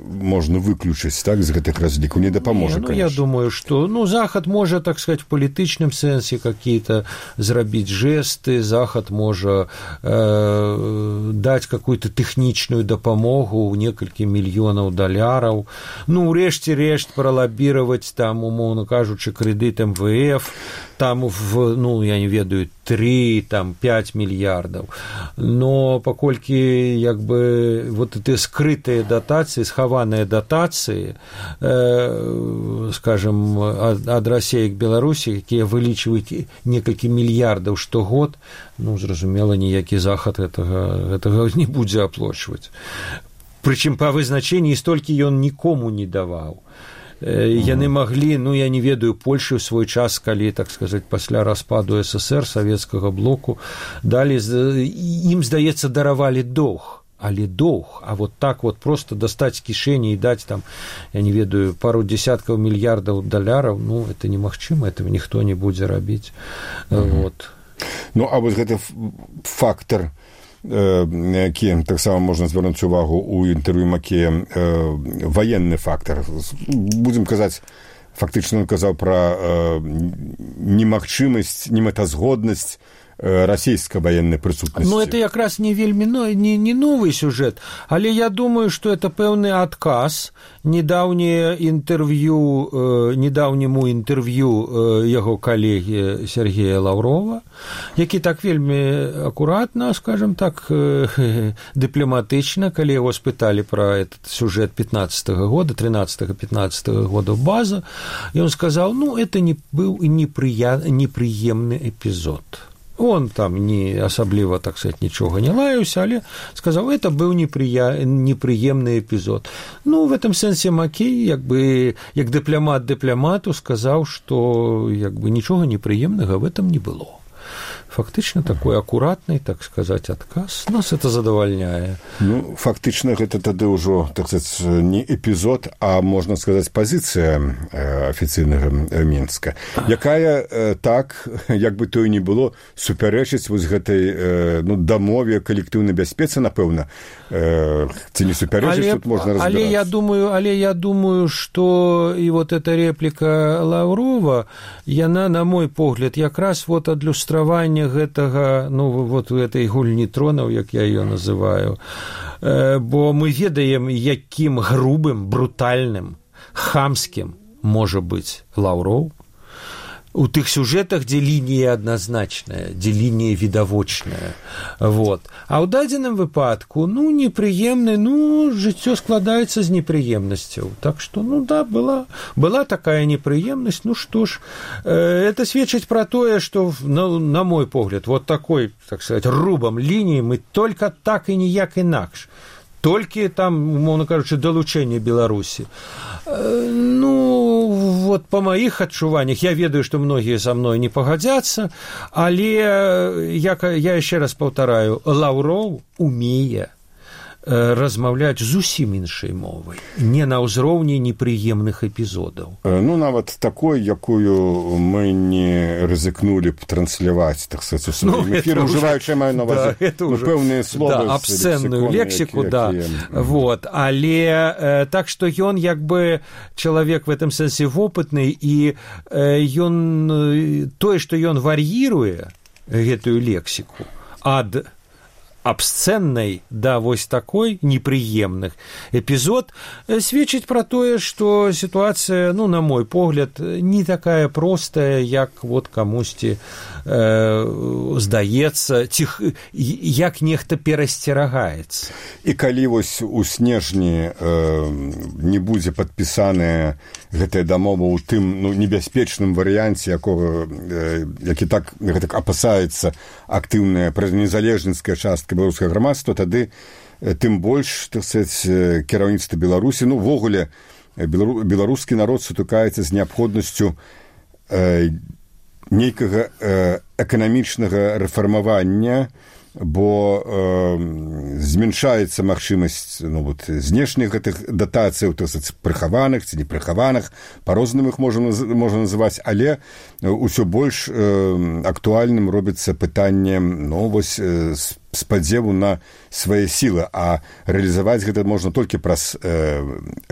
можна выключыць, так, з гэтых разлікаў, не дапаможа, конечно. Я думаю, что, ну, Захад можа, так сказать, в палітычным сэнсе какие-то зрабіць жесты, Захад можа даць какую-то тэхнічную дапамогу ў некалькі мільёнаў даляраў, ну, урэшце рэшт пралабіраваць там, умоўна кажучы, крэдыт МВФ, там, ну, я не ведаю, 3, там, 5 мільярдаў. Но паколькі, як бы, вот эти скрытыя датацыі, схаваныя датацыі, скажем, ад Расіі к Беларусі, якія вылічваюць некалькі мільярдаў штогод, ну, зразумела, ніякі Захад гэтага не будзе аплочваць. Прычым па вызначэнні столькі ён нікому не даваў. Яны маглі, ну, я не ведаю, Польшы ў свой час, калі, так сказаць, пасля распаду СССР, савецкага блоку, далі, ім, здаецца, даравалі доўг, але доўг, а вот так вот просто дастаць з кішэні і даць там, я не ведаю, пару десяткаў мільярдаў даляраў, ну, это немагчыма, этого ніхто не будзе рабіць. Вот. Ну, а вось гэты фактор, які таксама можна звярнуць увагу ў інтэрв'ю Макея, ваенны фактар. Будзем казаць, фактычна ён казаў пра немагчымасць, немэтазгоднасць расійскай военной присутности. Ну, это как раз не вельми не новый сюжет, але я думаю, что это пэўны адказ недаўняму інтэрв'ю яго калегі Сергея Лаврова, які так вельмі акуратна, скажем так, дыпламатычна, калі яго спыталі пра этот сюжет 15-го года, 13-15 года база, и он сказал, ну, это не был неприемный эпизод. Он там не асабліва, так сказать, нічога не лаяўся, але сказаў, это быў непрыемны эпізод. Ну, в этом сэнсе Макей, як бы, як дыпламат дыпламату сказаў, што як бы нічога непрыемнага в этом не было. фактычна такой акуратны, так сказаць, адказ. Нас это задавальняе. Ну, фактычна гэта тады ўжо, так сказаць, не эпізод, а можна сказаць, пазіцыя афіцыйнага Мінска, якая так, як бы то і не было, супярэчыць вось гэтай дамове калектыўнай бяспецы, напэўна, ці не супярэчыць, тут можна разбірацца. Але я думаю, што і вот эта репліка Лаўрова, яна, на мой погляд, якраз вот адлюстраванне гэтага, ну, вот гэтай гульні тронаў, як я ее называю, бо мы ведаем, якім грубым, брутальным, хамскім можа быць Лаўров у тых сюжэтах, дзе лінія адназначная, дзе лінія відавочная. Вот. А ў дадзеным выпадку, ну, непрыемны, ну, жыццё складаецца з непрыемнасцяў. Так што, ну, да, была такая непрыемнасць, ну, што ж, это сведчыць пра тое, што, на мой погляд, вот такой, так сказать, рубам лініі мы только так і ніяк інакш. Толькі там, умоўна кажучы, далучэнне Беларусі. Ну, вот по маіх адчуваннях, я ведаю, што многія са мной не пагадзяцца, але я яшчэ раз паўтараю, Лаўров умее размаўляць зусім іншай мовай, не на ўзроўні непрыемных эпізодаў. Ну, нават такой, якую мы не рызыкнулі б трансляваць, так сказаць, у сваім эфіры, ўжываючы, маю на увазі, пэўныя словы, абсцэнную лексіку, да. Вот. Але так што ён, як бы, чалавек в этом сэнсе вопытны, і ён, тое, што ён вар'іруе гэтую лексіку ад абсцэннай да вось такой непрыемных эпізод сведчыць пра тое, што сітуацыя, ну, на мой погляд, не такая простая, як вот камусьці здаецца, ці як нехта перасцерагаецца. І калі вось у снежні не будзе падпісаная гэтая дамова ў тым, ну, небяспечным варыянце, які так апасаецца актыўная незалежніцкая частка беларускага грамадства, тады тым больш, так сказаць, кіраўніцтва Беларусі, ну, увогуле, беларускі народ сутыкаецца з неабходнасцю нейкага эканамічнага рэфармавання, бо змяншаецца магчымасць, ну, вот, знешніх гэтых датацыяў, так сказаць, прыхаваных ці непрыхаваных, па-рознаму іх можна называць, але ўсё больш актуальным робіцца пытанне, ну, вось, спадзеву на свае сілы, а рэалізаваць гэта можна толькі праз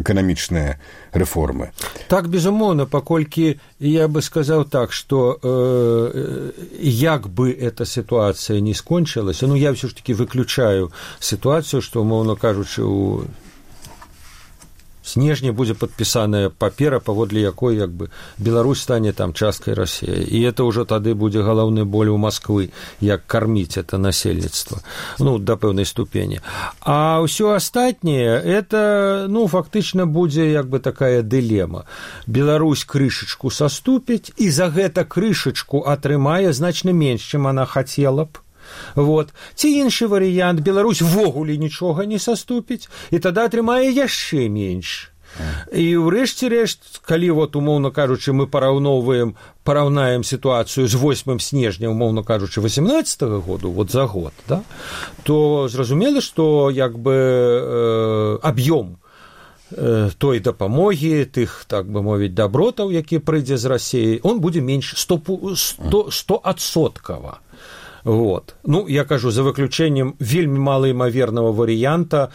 эканамічныя рэформы. Так, безумоўна, паколькі я бы сказаў так, што як бы эта сітуацыя не скончылася, ну, я ўсё ж таки выключаю сітуацыю, што, умоўна кажучы, у снежні будзе падпісаная папера, паводле якой, як бы, Беларусь стане там часткай Расіі. І это ўжо тады будзе галоўны боль у Масквы, як карміць это насельніцтва, ну, да пэўнай ступені. А ўсё астатняе, это, ну, фактычна будзе, як бы, такая дылема. Беларусь крышачку саступіць, і за гэта крышачку атрымае значна менш, чым она хацела б. Вот. Ці іншы варыянт, Беларусь ввогуле нічога не саступіць, і тады атрымае яшчэ менш. І ўрэшце рэшт, калі, вот, умоўна кажучы, мы параўнаем сітуацыю з 8 снежня, умоўна кажучы, 18-го году, вот за год, да, то зразумела, што, як бы, аб'ём той дапамогі, тых, так бы мовіць, дабротаў, які прыйдзе з Расіі, он будзе менш 100%. Вот. Ну, я кажу, за выключэннем вельмі малаімавернага варыянта,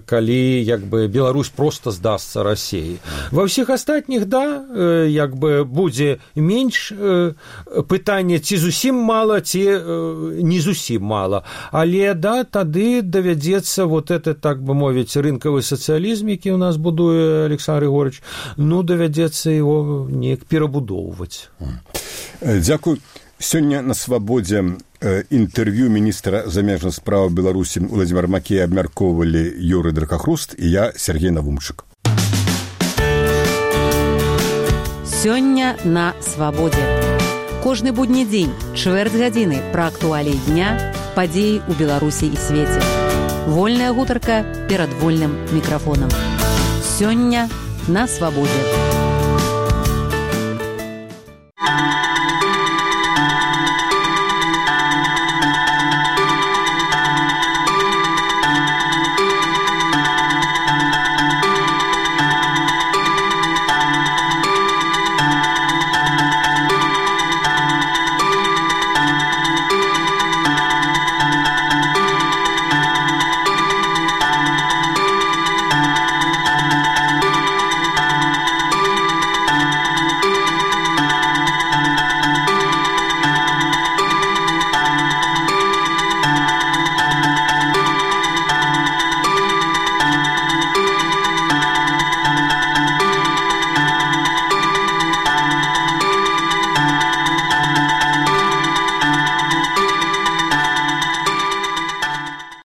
калі, як бы, Беларусь просто здасца Расіі. Ва ўсіх астатніх, да, як бы, будзе менш пытання, ці зусім мала, ці не зусім мала. Але, да, тады давядзецца вот это, так бы мовіць, рынкавы сацыялізм, які ў нас будуе Александр Григорьевич, ну, давядзецца его неяк перабудоўваць. Дзякуй. Сёння на свабодзе інтэрв'ю міністра замежных справ Беларусі Владзімір Макей абмяркоўвалі Юрый Дракахруст і я, Сергей Навумчык. Сёння на свабодзе. Кожны будні дзень, чвэрць гадзіны пра актуаліі дня, падзеі ў Беларусі і свеце. Вольная гутарка перад вольным мікрафонам. Сёння на свабодзе.